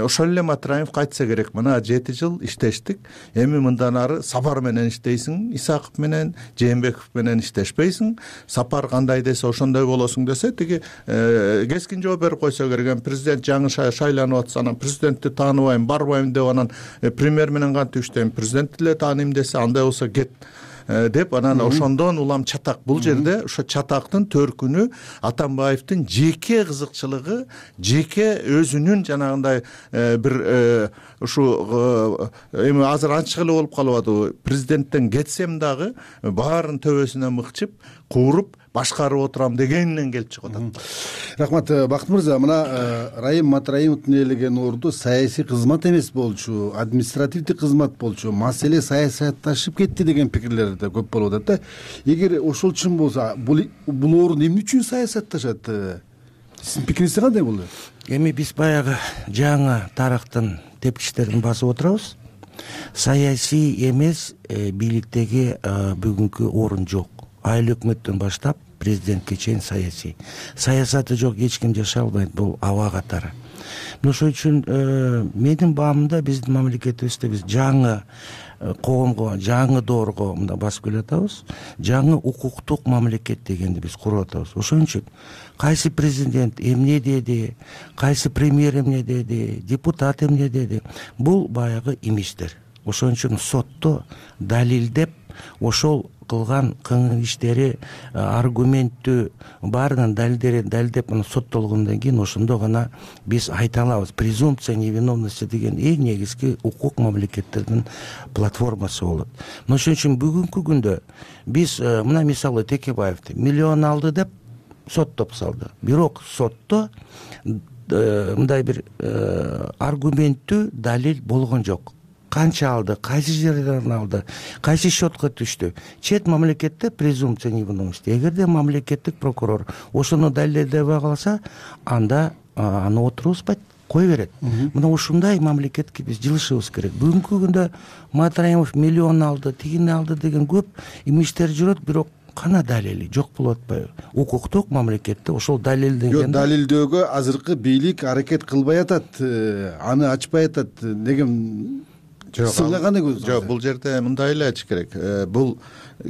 ошол эле Матраимовго айтса керек, мына 7 жыл иштештик, эми мындан ары Сапар менен иштейсиң, Исаков менен, Жээнбеков менен иштешпейсиң, Сапар кандай десе ошондой болосуң десе, тиги кескин жооп берип койсо керек. Президент жаңы шайланып атса, анан президентти тааныбайм, барбайм деп, анан премьер менен кантип иштейм, президентти эле тааныйм десе, андай болсо кет деп, анан ошондон улам чатак. Бул жерде ошо чатактын төркүнү Атамбаевдин жеке кызыкчылыгы, жеке өзүнүн жанагындай бир ушу эми азыр ачык эле болуп калып атабы, президенттен кетсем дагы баарын төбөсүнөн мыкчып, кууруп башкарып отурам дегенинен келип чыгып атат. Рахмат, Бакыт мырза. Мына Раим Матраимовдун ээлеген орду саясий кызмат эмес болчу, административдик кызмат болчу, маселе саясатташып кетти деген пикирлер да көп болуп атат да. Эгер ошол чын болсо, бул орун эмне үчүн саясатташат? Сиздин пикириңиз кандай болду? Эми биз баягы жаңы тарыхтын тепкичтерин басып отурабыз. Саясий эмес бийликтеги бүгүнкү орун жок. Айыл өкмөттөн баштап президентке чейин саясий. Саясаты жок эч ким жашай албайт, бул аба катары. Ошон үчүн менин баамымда биздин мамлекетибизде биз жаңы коомго, жаңы доорго мындай басып келатабыз. Жаңы укуктук мамлекет дегенди биз куруп атабыз. Ошон үчүн кайсы президент эмне деди, кайсы премьер эмне деди, депутат эмне деди, бул баягы имичтер. Ошон үчүн сотто далилдеп, ошол кылган иштери аргументтүү баарынан далилдеп соттолгондон кийин ошондо гана биз айта алабыз. Презумпция невиновности деген эң негизги укук мамлекеттердин платформасы болот. Ошон үчүн бүгүнкү күндө биз мына мисалы Текебаевди миллион алды деп соттоп салды. Бирок сотто мындай бир аргументтүү далил болгон жок. Канча алды, кайсы жерден алды, кайсы счетко түштү. Чет мамлекетте презумпция невиновности. Эгерде мамлекеттик прокурор ошону далилдебей калса, анда аны отургузбайт, кой берет. Мына ушундай мамлекетке биз жылышыбыз керек. Бүгүнкү күндө Матраимов миллион алды, тигини алды деген көп имиштер жүрөт, бирок кана далили жок болуп атпайбы? Укуктук мамлекетте ошол далилденген. Далилдөөгө азыркы бийлик аракет кылбай атат, аны ачпай атат деген. Жок, бул жерде мындай эле айтыш керек. Бул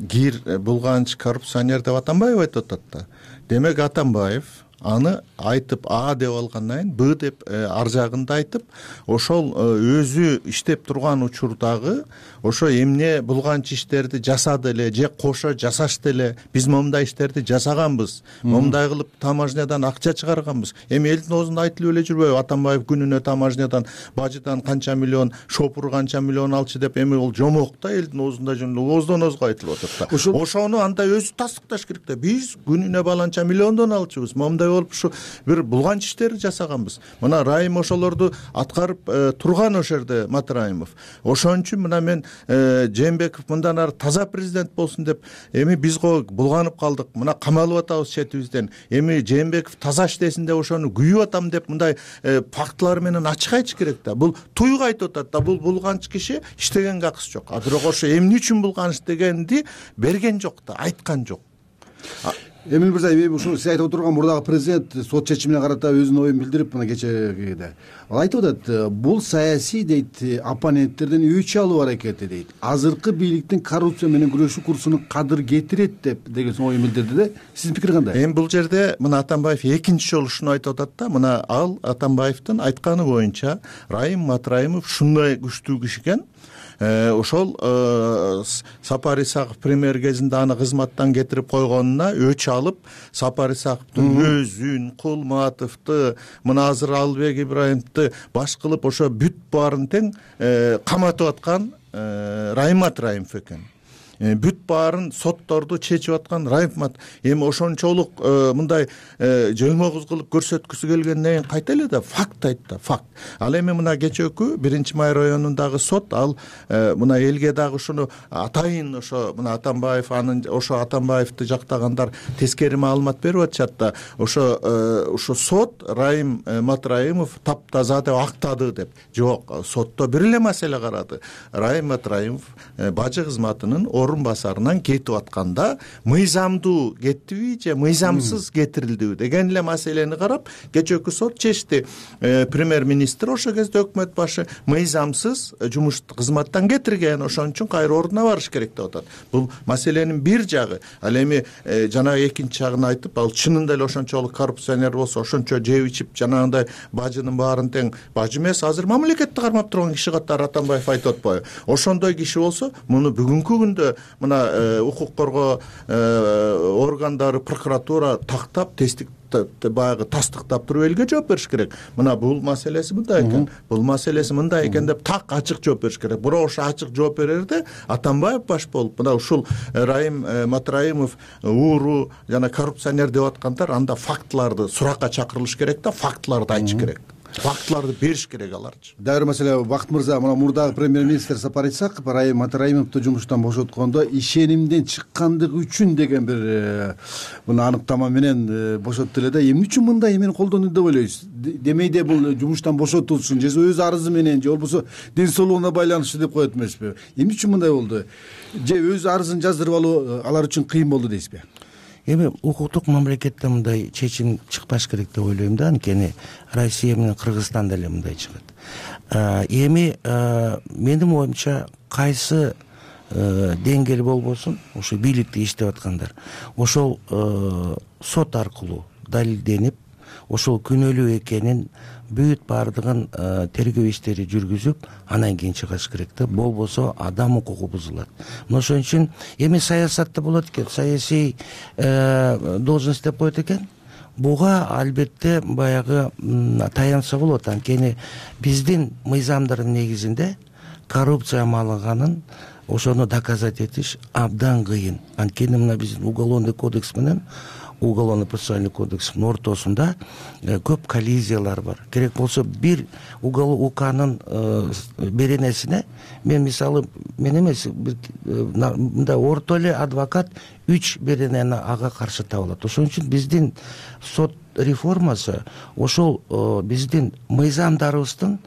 кир булганч коррупционер деп Атамбаев айтып атат да. Демек Атамбаев аны айтып А деп алгандан кийин Б деп ар жагында айтып, ошол өзү иштеп турган учурдагы ошо эмне булганч иштерди жасады эле же кошо жасашты эле, биз момундай иштерди жасаганбыз, момундай кылып таможнядан акча чыгарганбыз. Эми элдин оозунда айтылып эле жүрбөйбү? Атамбаев күнүнө таможнядан, бажыдан канча миллион, шопур канча миллион алчу деп. Эми ол жомок да, элдин оозунда ооздон оозго айтылып атат да. Ошону анда өзү тастыкташ керек да. Биз күнүнө баланча миллиондон алчубуз, момундай болуп ушу бир булганч иштерди жасаганбыз. Мына Раим ошолорду аткарып турган ошол жерде Матраимов. Ошон үчүн мына мен Жээнбеков мындан ары таза президент болсун деп, эми биз булганып калдык, мына камалып атабыз четибизден. Эми Жээнбеков таза иштесин деп ошону күйүп атам деп мындай фактылар менен ачык айтыш керек да. Бул туйга айтып атат да, бул булганч киши иштегенге акысы жок. Бирок ошо эмне үчүн булганыш дегенди берген жок да, айткан жок. Эмил мырза, ушул сиз айтып отурган мурдагы президент сот чечимине карата өзүнүн оюн билдирип, мына кечеде ал айтып атат, бул саясий дейт, оппоненттерден өч алуу аракети дейт. Азыркы бийликтин коррупция менен күрөшүү курсуну кадыр кетирет деп деген оюн билдирди да. Сиздин пикир кандай? Эми бул жерде мына Атамбаев экинчи жолу ушуну айтып атат да. Мына ал Атамбаевдин айтканы боюнча Раим Матраимов ушундай күчтүү киши экен. ошол Сапар Исаков премьер кезинде аны кызматтан кетирип койгонуна өч алып, Сапар Исаковдун өзүн, Кулматовду, мына азыр Албек Ибраимовду баш кылып ошо бүт баарын тең каматып аткан Райым Матраимов экен. Бүт баарын сотторду чечип аткан Райым. Эми ошончолук мындай жөлмөгүз кылып көрсөткүсү келгенден кийин кайта эле да факт айтты, факт. Ал эми мына кечээкү 1-Май районундагы сот ал мына элге дагы ушуну атайын ошо мына Атамбаев ошо Атамбаевди жактагандар тескери маалымат берип атышат да, ошо сот Райым Матраимов таптаза деп актады деп. Жок, сотто бир эле маселе карады. Райым Матраимов бажы кызматынын орун басарынан кетип атканда мыйзамдуу кеттиби же мыйзамсыз кетирилдиби деген эле маселени карап кечээкү сот чечти. Премьер-министр ошол кезде өкмөт башы мыйзамсыз жумуш кызматтан кетирген, ошон үчүн кайра ордуна барыш керек деп атат. Бул маселенин бир жагы. Ал эми жанагы экинчи жагын айтып, ал чынында эле ошончолук коррупционер болсо, ошончо жеп ичип жанагындай бажынын баарын тең бажы эмес, азыр мамлекетти кармап турган киши катары Атамбаев айтып атпайбы? Ошондой киши болсо, муну бүгүнкү күндө мына укук коргоо органдары, прокуратура тактап, тестик баягы тастыктап туруп элге жооп бериш керек. Мына бул маселеси мындай экен, бул маселеси мындай экен деп так ачык жооп бериш керек. Бирок ошо ачык жооп берерде Атамбаев баш болуп, мына ушул Райым Матраимов ууру жана коррупционер деп аткандар, анда фактыларды суракка чакырылыш керек да, фактыларды айтыш керек. Фактыларды бериш керек аларчы. Дагы маселе, Бакыт мырза, мына мурдагы премьер-министр Сапар Исаков Райым Матраимовду жумуштан бошоткондо ишенимден чыккандыгы үчүн деген бир мына аныктама менен бошотту эле да. Эмне үчүн мындай эмени колдонду деп ойлойсуз? Демейде бул жумуштан бошотулсын, же өз арызы менен, же болбосо ден соолугуна байланыштуу деп коет эмеспи? Эмне үчүн мындай болду? Же өз арызын жаздырып алуу алар үчүн кыйын болду дейсизби? Эми укуктук мамлекетте мындай чечим чыкпаш керек деп ойлойм да, анткени Россия менен Кыргызстан деле мындай чыгат. Эми менин оюмча кайсы деңгээл болбосун, ошо бийликте иштеп аткандар, ошол сот аркылуу далилденип, ошол күнөөлүү экенин бүт баардыгын тергөө иштери жүргүзүп, анан кийин чыгыш керек да, болбосо адам укугу бузулат. Мына ошон үчүн эми саясатта болот экен, саясий должность деп коет экен. Буга албетте баягы таянса болот, анткени биздин мыйзамдардын негизинде коррупция маалыганын ошону доказать этиш абдан кыйын. Анткени мына биздин уголовный кодекс менен уголовно-процессуальный кодекстин ортосунда көп коллизиялар бар. Керек болсо бир УКнын беренесине мен мисалы мен эмес мындай орто эле адвокат 3 беренени ага каршы таба алат. Ошон үчүн биздин сот реформасы ошол биздин мыйзамдарыбыздын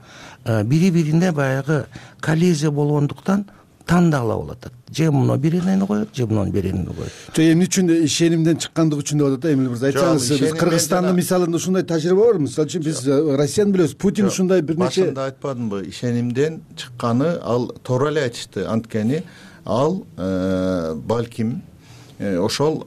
бири-бирине баягы коллизия болгондуктан тандала болот. Же муну беренени коет, же мунун беренени коет. Эмне үчүн ишенимден чыккандыгы үчүн деп атат да, Эмил мырза. Айтсаңыз, Кыргызстандын мисалында ушундай тажрыйба бар. Мисалы үчүн биз Россияны билебиз, Путин ушундай бир нече башында айтпадымбы, ишенимден чыкканы ал туура эле айтышты. Анткени ал балким ошол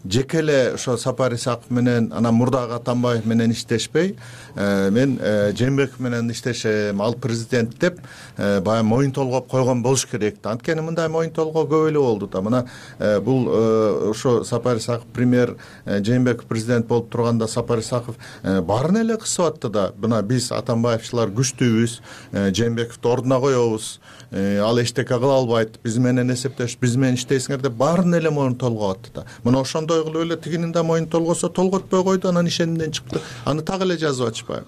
жеке эле ошо Сапар Исаков менен анан мурдагы Атамбаев менен иштешпей, мен Жээнбеков менен иштешем, ал президент деп баягы моюн толгоп койгон болуш керек да. Анткени мындай моюн толгоо көп эле болду да. Мына бул ошо Сапар Исаков премьер, Жээнбеков президент болуп турганда Сапар Исаков баарын эле кысып атты да. Мына биз Атамбаевчылар күчтүүбүз, Жээнбековду ордуна коебуз, ал эчтеке кыла албайт, биз менен эсептеш, биз менен иштейсиңер деп баарын эле моюн толгоп атты да. Мына ошондой кылып эле тигинин да моюн толгосо, толготпой койду, анан ишенимден чыкты. Аны так эле жазып атышпайбы?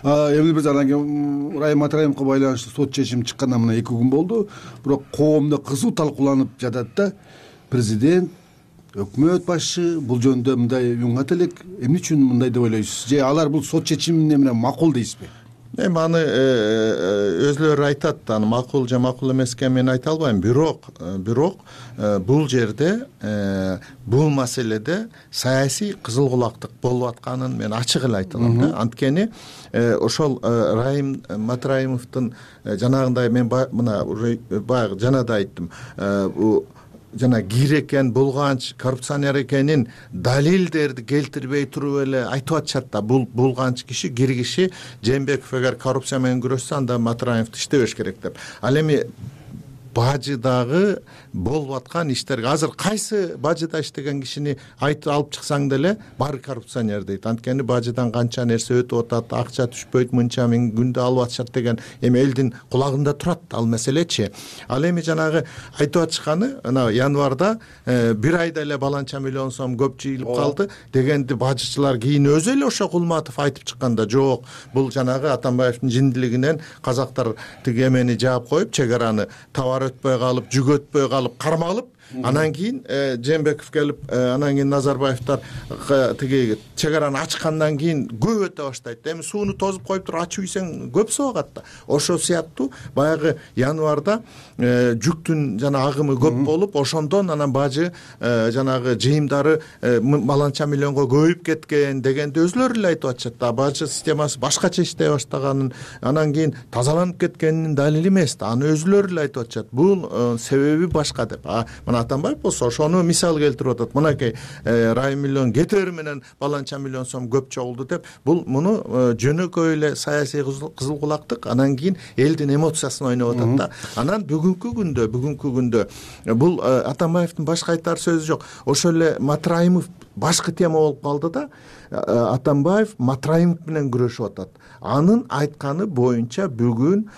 Эмил мырза, анан кийин Райым Матраимовго байланыштуу сот чечими чыккандан мына 2 күн болду. Бирок коомдо кызуу талкууланып жатат да. Президент, өкмөт башы бул жөнүндө мындай уңат элек. Эмне үчүн мындай деп ойлойсуз? Же алар бул сот чечимине менен макул дейсизби? Эми аны өзлөрү айтат, аны макул же макул эмес экенин мен айта албайм. Бирок бул жерде бул маселеде саясий кызыл кулактык болуп атканын мен ачык эле айта алам да. Анткени ошол Райым Матраимовдун жанагындай мен мына баягы жана да айттым. жана кир экен, булганч, коррупционер экенин далилдерди келтирбей туруп эле айтып атышат да. Бул булганч киши, кир киши, Жээнбеков эгер коррупция менен күрөшсө, анда Матраевди иштебеш керек деп. Ал эми бажыдагы болуп аткан иштерге азыр кайсы бажыда иштеген кишини айтып алып чыксаң деле баары коррупционер дейт. Анткени бажыдан канча нерсе өтүп атат, акча түшпөйт, мынча миң күндө алып атышат деген эми элдин кулагында турат ал маселечи. Ал эми жанагы айтып атышканы ана январда 1 айда эле баланча миллион сом көп жыйылып калды дегенди бажычылар кийин өзү эле ошо Кулматов айтып чыкканда, жок, бул жанагы Атамбаевдин жиндилигинен казактар тиги эмени жаап коюп, чек араны товар өтпөй калып, жүк өтпөй калып, кармалып, анан кийин Жээнбеков келип, анан кийин Назарбаевдер тиги чек араны ачкандан кийин көп өтө баштайт. Эми сууну тозуп коюп туруп ачып ийсең көп суу агат да. Ошо сыяктуу баягы январда жүктүн жана агымы көп болуп, ошондон анан бажы жанагы жыйымдары баланча миллионго көбөйүп кеткен дегенди өзүлөрү эле айтып атышат да. Бажы системасы башкача иштей баштаганын, анан кийин тазаланып кеткенинин далили эмес да. Аны өзүлөрү эле айтып атышат. Бул себеби башка деп. Мына Атамбаев болсо ошону мисал келтирип атат. Мынакей Райым миллион кетери менен баланча миллион сом көп чогулду деп. Бул муну жөнөкөй эле саясий кызыл кулактык, анан кийин элдин эмоциясын ойноп атат да. Анан бүгүнкү күндө бул Атамбаевдин башка айтар сөзү жок. Ошол эле Матраимов башкы тема болуп калды да. Атамбаев Матраимов менен күрөшүп атат. Анын айтканы боюнча бүгүн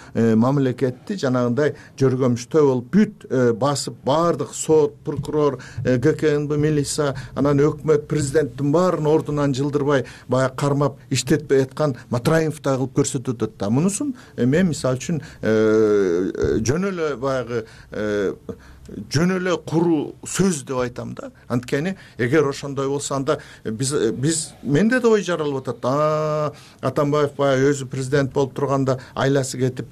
мамлекетти жанагындай жөргөмүштөө болуп бүт басып баардык сот, прокурор, ГКНБ, милиция, анан өкмөт, президенттин баарын ордунан жылдырбай баягы кармап иштетпей аткан Матраимовду кылып көрсөтүп атат да. Мунусун мен мисалы үчүн жөн эле баягы жөн эле куруу сөз деп айтам да. Анткени эгер ошондой болсо, анда биз менде да ой жаралып атат. Атамбаев баягы өзү президент болуп турганда айласы кетип,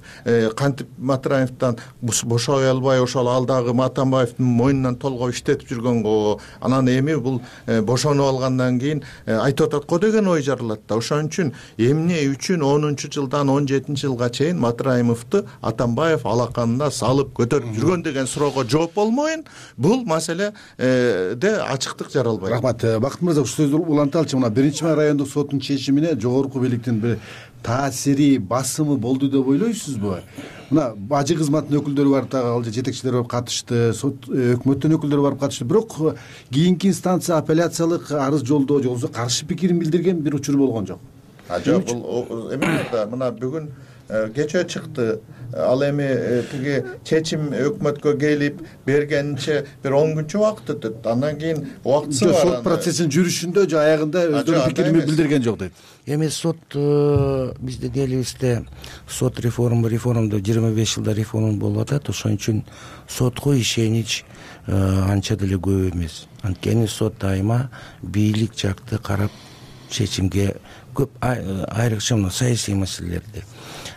кантип Матраевден бошой албай ошол алдагы Атамбаевдин мойнунан толгоп иштетип жүргөнгө, анан эми бул бошонуп алгандан кийин айтып атат го деген ой жаралат да. Ошон үчүн эмне үчүн 10-жылдан 17-жылга чейин Матраимовду Атамбаев алаканына салып көтөрүп жүргөн деген суроого жооп болмойын, бул маселеде ачыктык жаралбайт. Рахмат. Бакыт мырза, ушул сөздү уланталычы. Мына 1-май райондук соттун чечимине жогорку бийликтин бир таасири, басымы болду деп ойлойсузбу? Мына бажы кызматынын өкүлдөрү барып, ал жетекчилер барып катышты, өкмөттүн өкүлдөрү барып катышты. Бирок кийинки инстанция апелляциялык арыз жолдоо же болбосо каршы пикирин билдирген бир учур болгон жок. Жок, бул эме да. Мына бүгүн кечээ чыкты. Ал эми тиги чечим өкмөткө келип бергенинче бир 10 күнчө убакыт өтөт. Андан кийин убактысы бар. Сот процессинин жүрүшүндө же аягында өздөрүнүн пикирин билдирген жок дейт. Эми сот биздин элибизде сот реформа 25 жылда реформа болуп атат. Ошон үчүн сотко ишенич анча деле көп эмес. Анткени сот дайыма бийлик жакты карап чечимге көп айрыкча саясий маселелерди.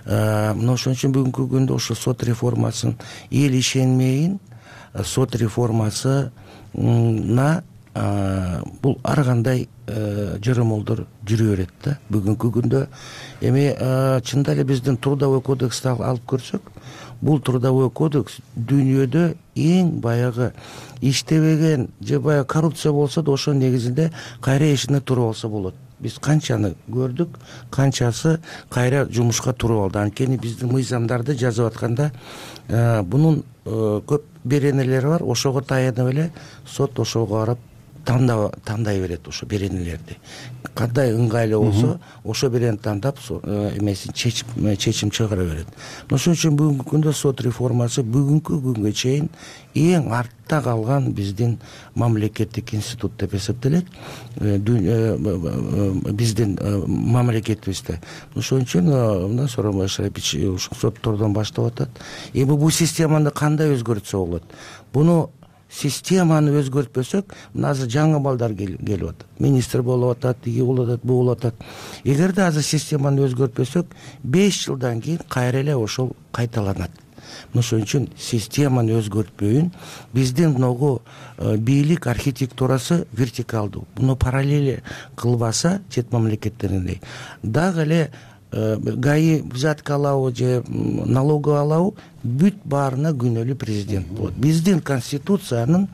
Мына ошон үчүн бүгүнкү күндө ошо сот реформасын эл ишенмейин, сот реформасына бул ар кандай жыромолдор жүрө берет да. Бүгүнкү күндө эми чында эле биздин трудовой кодексти алып көрсөк, бул трудовой кодекс дүйнөдө эң баягы иштебеген же баягы коррупция болсо да ошонун негизинде кайра ишине туруп алса болот. Биз канчаны көрдүк, канчасы кайра жумушка туруп алды. Анткени биздин мыйзамдарды жазып атканда бунун көп беренелери бар. Ошого таянып эле сот ошого карап тандай берет ошо беренелерди. Кандай ыңгайлуу болсо, ошо берени тандап эмесин чечим чыгара берет. Ошон үчүн бүгүнкү күндө сот реформасы бүгүнкү күнгө чейин эң артта калган биздин мамлекеттик институт деп эсептелет. Биздин мамлекетибизде. Ошон үчүн мына Сооронбай Шарипович ушул соттордон баштап атат. Эми бул системаны кандай өзгөртсө болот? Буну системаны өзгөртпөсөк, мына азыр жаңы балдар келип атат. Министр болуп атат, тиги болуп атат, бу болуп атат. Эгерде азыр системаны өзгөртпөсөк, 5 жылдан кийин кайра эле ошол кайталанат. Ошон үчүн системаны өзгөртпөйүн, биздин могу бийлик архитектурасы вертикалдуу. Буну параллель кылбаса, чет мамлекеттериндей, дагы эле гаи взятка алабы же налог алабы бүт баарына күнөөлүү президент болот. Биздин конституциянын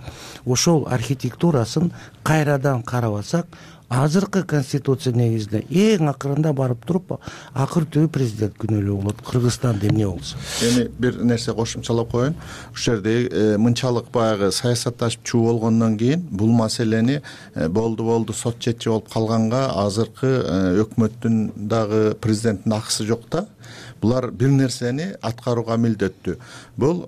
ошол архитектурасын кайрадан карабасак, азыркы конституция негизинде эң акырында барып туруп акыр түбү президент күнөөлүү болот. Кыргызстанда эмне болсо. Эми бир нерсе кошумчалап коеюн. Ушул жерде мынчалык баягы саясатташып чуу болгондон кийин бул маселени болду сот четчи болуп калганга азыркы өкмөттүн дагы президенттин акысы жок да. Булар бир нерсени аткарууга милдеттүү. Бул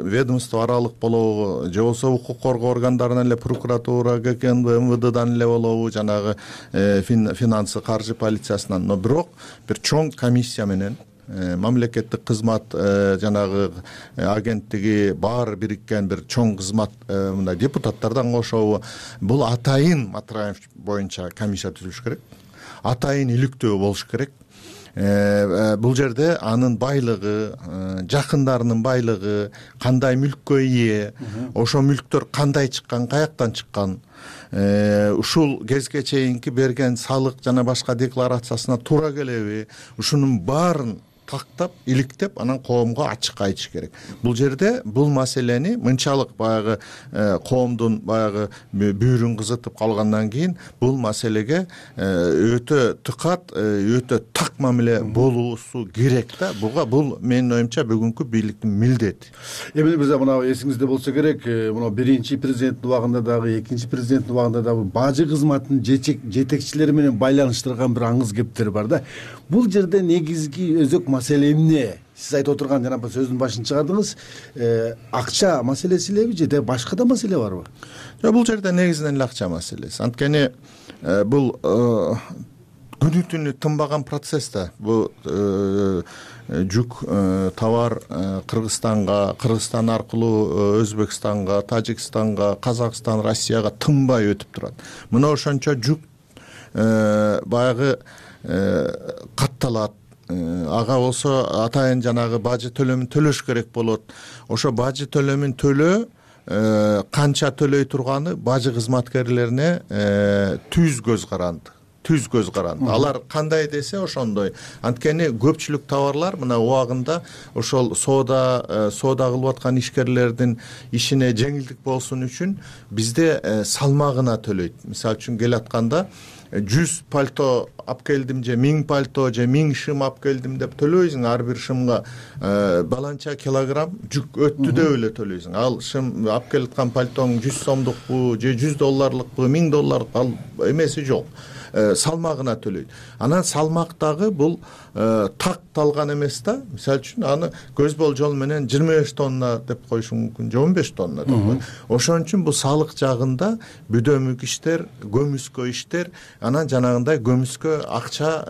ведомство аралык болобу, же болбосо укук коргоо органдарынан эле прокуратура, ГКНБ, МВДдан эле болобу, жанагы финансы, каржы полициясынан. Но бирок бир чоң комиссия менен мамлекеттик кызмат жанагы агенттиги баары бириккен бир чоң кызмат мындай депутаттардан кошобу, бул атайын Матраев боюнча комиссия түзүлүш керек. Атайын иликтөө болуш керек. Бул жерде анын байлыгы, жакындарынын байлыгы, кандай мүлккө ээ, ошо мүлктөр кандай чыккан, каяктан чыккан, ушул кезге чейинки берген салык жана башка декларациясына туура келеби, ушунун баарын тактап, иликтеп, анан коомго ачык айтыш керек. Бул жерде бул маселени мынчалык баягы коомдун баягы бүйүрүн кызытып калгандан кийин бул маселеге өтө тыкат, өтө так мамиле болуусу керек да. Бул менин оюмча бүгүнкү бийликтин милдети. Эмне мырза, мына эсиңизде болсо керек, мына биринчи президенттин убагында дагы, экинчи президенттин убагында дагы бажы кызматынын жетекчилери менен байланыштырган бир аңыз кептер бар да. Бул жерде негизги өзөк маселе эмне? Сиз айтып отурган жанагы сөздүн башын чыгардыңыз. Акча маселеси элеби же башка да маселе барбы? Жок, бул жерде негизинен эле акча маселеси. Анткени бул күнү түнү тынбаган процесс да. Бул жүк товар Кыргызстанга, Кыргызстан аркылуу Өзбекстанга, Тажикстанга, Казакстан, Россияга тынбай өтүп турат. Мына ошончо жүк баягы катталат. Ага болсо атайын жанагы бажы төлөмүн төлөш керек болот. Ошо бажы төлөмүн канча төлөй турганы бажы кызматкерлерине түз көз каранды. Алар кандай десе ошондой. Анткени көпчүлүк товарлар мына убагында ошол соода кылып аткан ишкерлердин ишине жеңилдик болсун үчүн бизде салмагына төлөйт. Мисалы үчүн келатканда 100 пальто алып келдим же 1000 пальто же 1000 шым алып келдим деп төлөйсүң, ар бир шымга баланча килограмм жүк өттү деп эле төлөйсүң. Ал шым алып келаткан пальтоң 100 сомдукпу же 100 долларлыкпу, 1000 долларлык ал эмеси жок. Салмагына төлөйт. Анан салмактагы бул такталган эмес да. Мисалы үчүн аны көз болжол менен 25 тонна деп коюшу мүмкүн, же 15 тонна деп коюш. Ошон үчүн бул салык жагында бүдөмүк иштер, көмүскө иштер, анан жанагындай көмүскө акча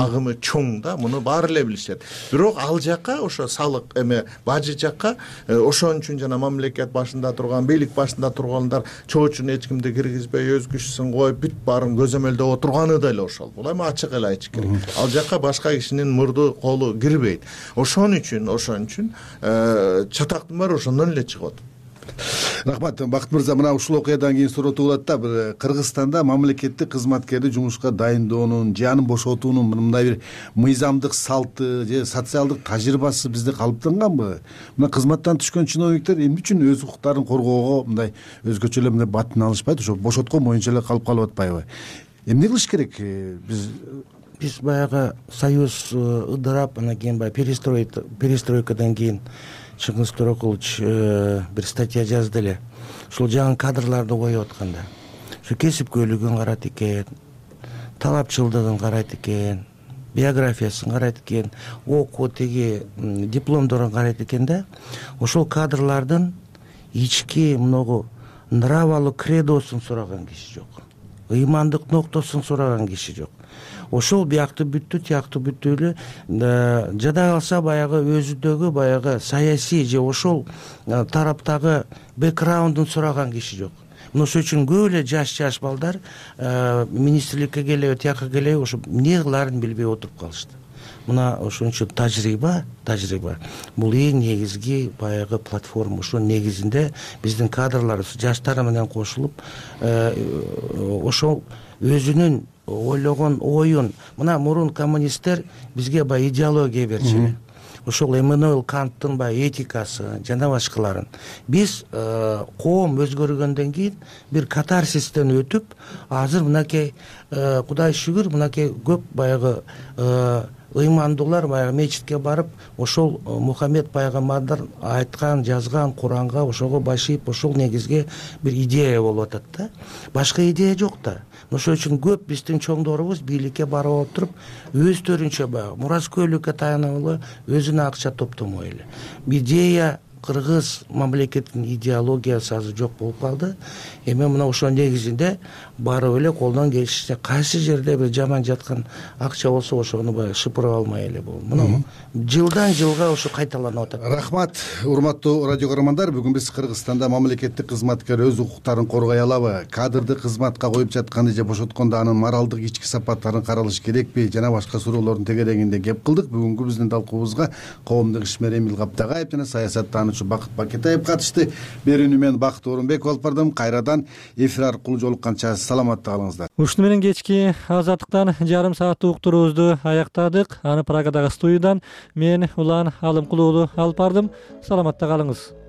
агымы чоң да. Муну баары эле билишет. Бирок ал жакка ошо салык бажы жакка ошон үчүн жана мамлекет башында турган, бийлик башында тургандар чоочун эч кимди киргизбей, өз күчүсүн коюп, бүт баарын көзөмөлдөп турганы да эле ошол. Бул эми ачык эле айтыш керек. Ал жакка башка кишинин мурду колу кирбейт. Ошон үчүн чатактын баары ошондон эле чыгып атат. Рахмат, Бакыт мырза, мына ушул окуядан кийин суроо туулат да, бир Кыргызстанда мамлекеттик кызматкерди жумушка дайындоонун же аны бошотуунун мындай бир мыйзамдык салты же социалдык тажрыйбасы бизде калыптанганбы? Мына кызматтан түшкөн чиновниктер эмне үчүн өз укуктарын коргоого мындай өзгөчө эле мындай батын алышпайт, ошо бошоткон боюнча эле калып атпайбы? Эмне кылыш керек? Биз баягы союз ыдырап, анан кийин баягы перестройкадан кийин Чыңгыз Төрөкулович бир статья жазды эле. Ушул жаңы кадрларды коюп атканда, ушу кесипкөйлүгүн карайт экен, талапчылдыгын карайт экен, биографиясын карайт экен, окуу дипломдорун карайт экен да. Ошол кадрлардын ички мынагу нравалык кредосун сураган киши жок. Ыймандык ноктосун сураган киши жок. Ошол биякты бүттү, тиякты бүттү эле, жада калса баягы өзүдөгү баягы саясий же ошол тараптагы бэкграундун сураган киши жок. Мына ошол үчүн көп эле жаш балдар министрликке келеби, тияка келеби, ошо эмне кылаарын билбей отуруп калышты. Мына ошон үчүн тажрыйба бул эң негизги баягы платформа. Ошо негизинде биздин кадрлар жаштар менен кошулуп, ошол өзүнүн ойлогон оюн мына мурун коммунисттер бизге баягы идеология берчү эле. Ошол Эммануэл Канттын баягы этикасы жана башкаларын биз коом өзгөргөндөн кийин бир катарсистен өтүп азыр мынакей Кудай шүгүр мынакей көп баягы ыймандуулар баягы мечитке барып ошол Мухаммед пайгамбардар айткан жазган Куранга ошого башыйып ошол негизге бир идея болуп атат да. Башка идея жок да. Ошол үчүн көп биздин чоңдорубуз бийликке барып отуруп өздөрүнчө баягы мураскөйлүккө таянып эле өзүнө акча топтомой эле. Идея кыргыз мамлекетинин идеологиясы азыр жок болуп калды. Эми мына ошол негизинде барып эле колдон келишинче кайсы жерде бир жаман жаткан акча болсо ошону баягы шыпырып алмай эле болду. Мына жылдан жылга ошо кайталанып атат. Рахмат, урматтуу радио көрөрмандар. Бүгүн биз Кыргызстанда мамлекеттик кызматкер өз укуктарын коргой алабы, кадрды кызматка коюп жатканды же бошоткондо анын моралдык ички сапаттарын каралыш керекпи жана башка суроолордун тегерегинде кеп кылдык. Бүгүнкү биздин талкуубузга коомдук ишмер Эмил Каптагаев жана саясаттануучу Бакыт Пакетаев катышты. Берүүнү мен Бакыт Орунбеков алып бардым. Кайрадан эфир аркылуу жолукканча саламатта калыңыздар. Ушуну менен кечки азаттыктан жарым сааттык уктуруубузду аяктадык. Аны Праgadагы студиядан мен Улан Алымкулуулу алып бардым. Саламатта калыңыз.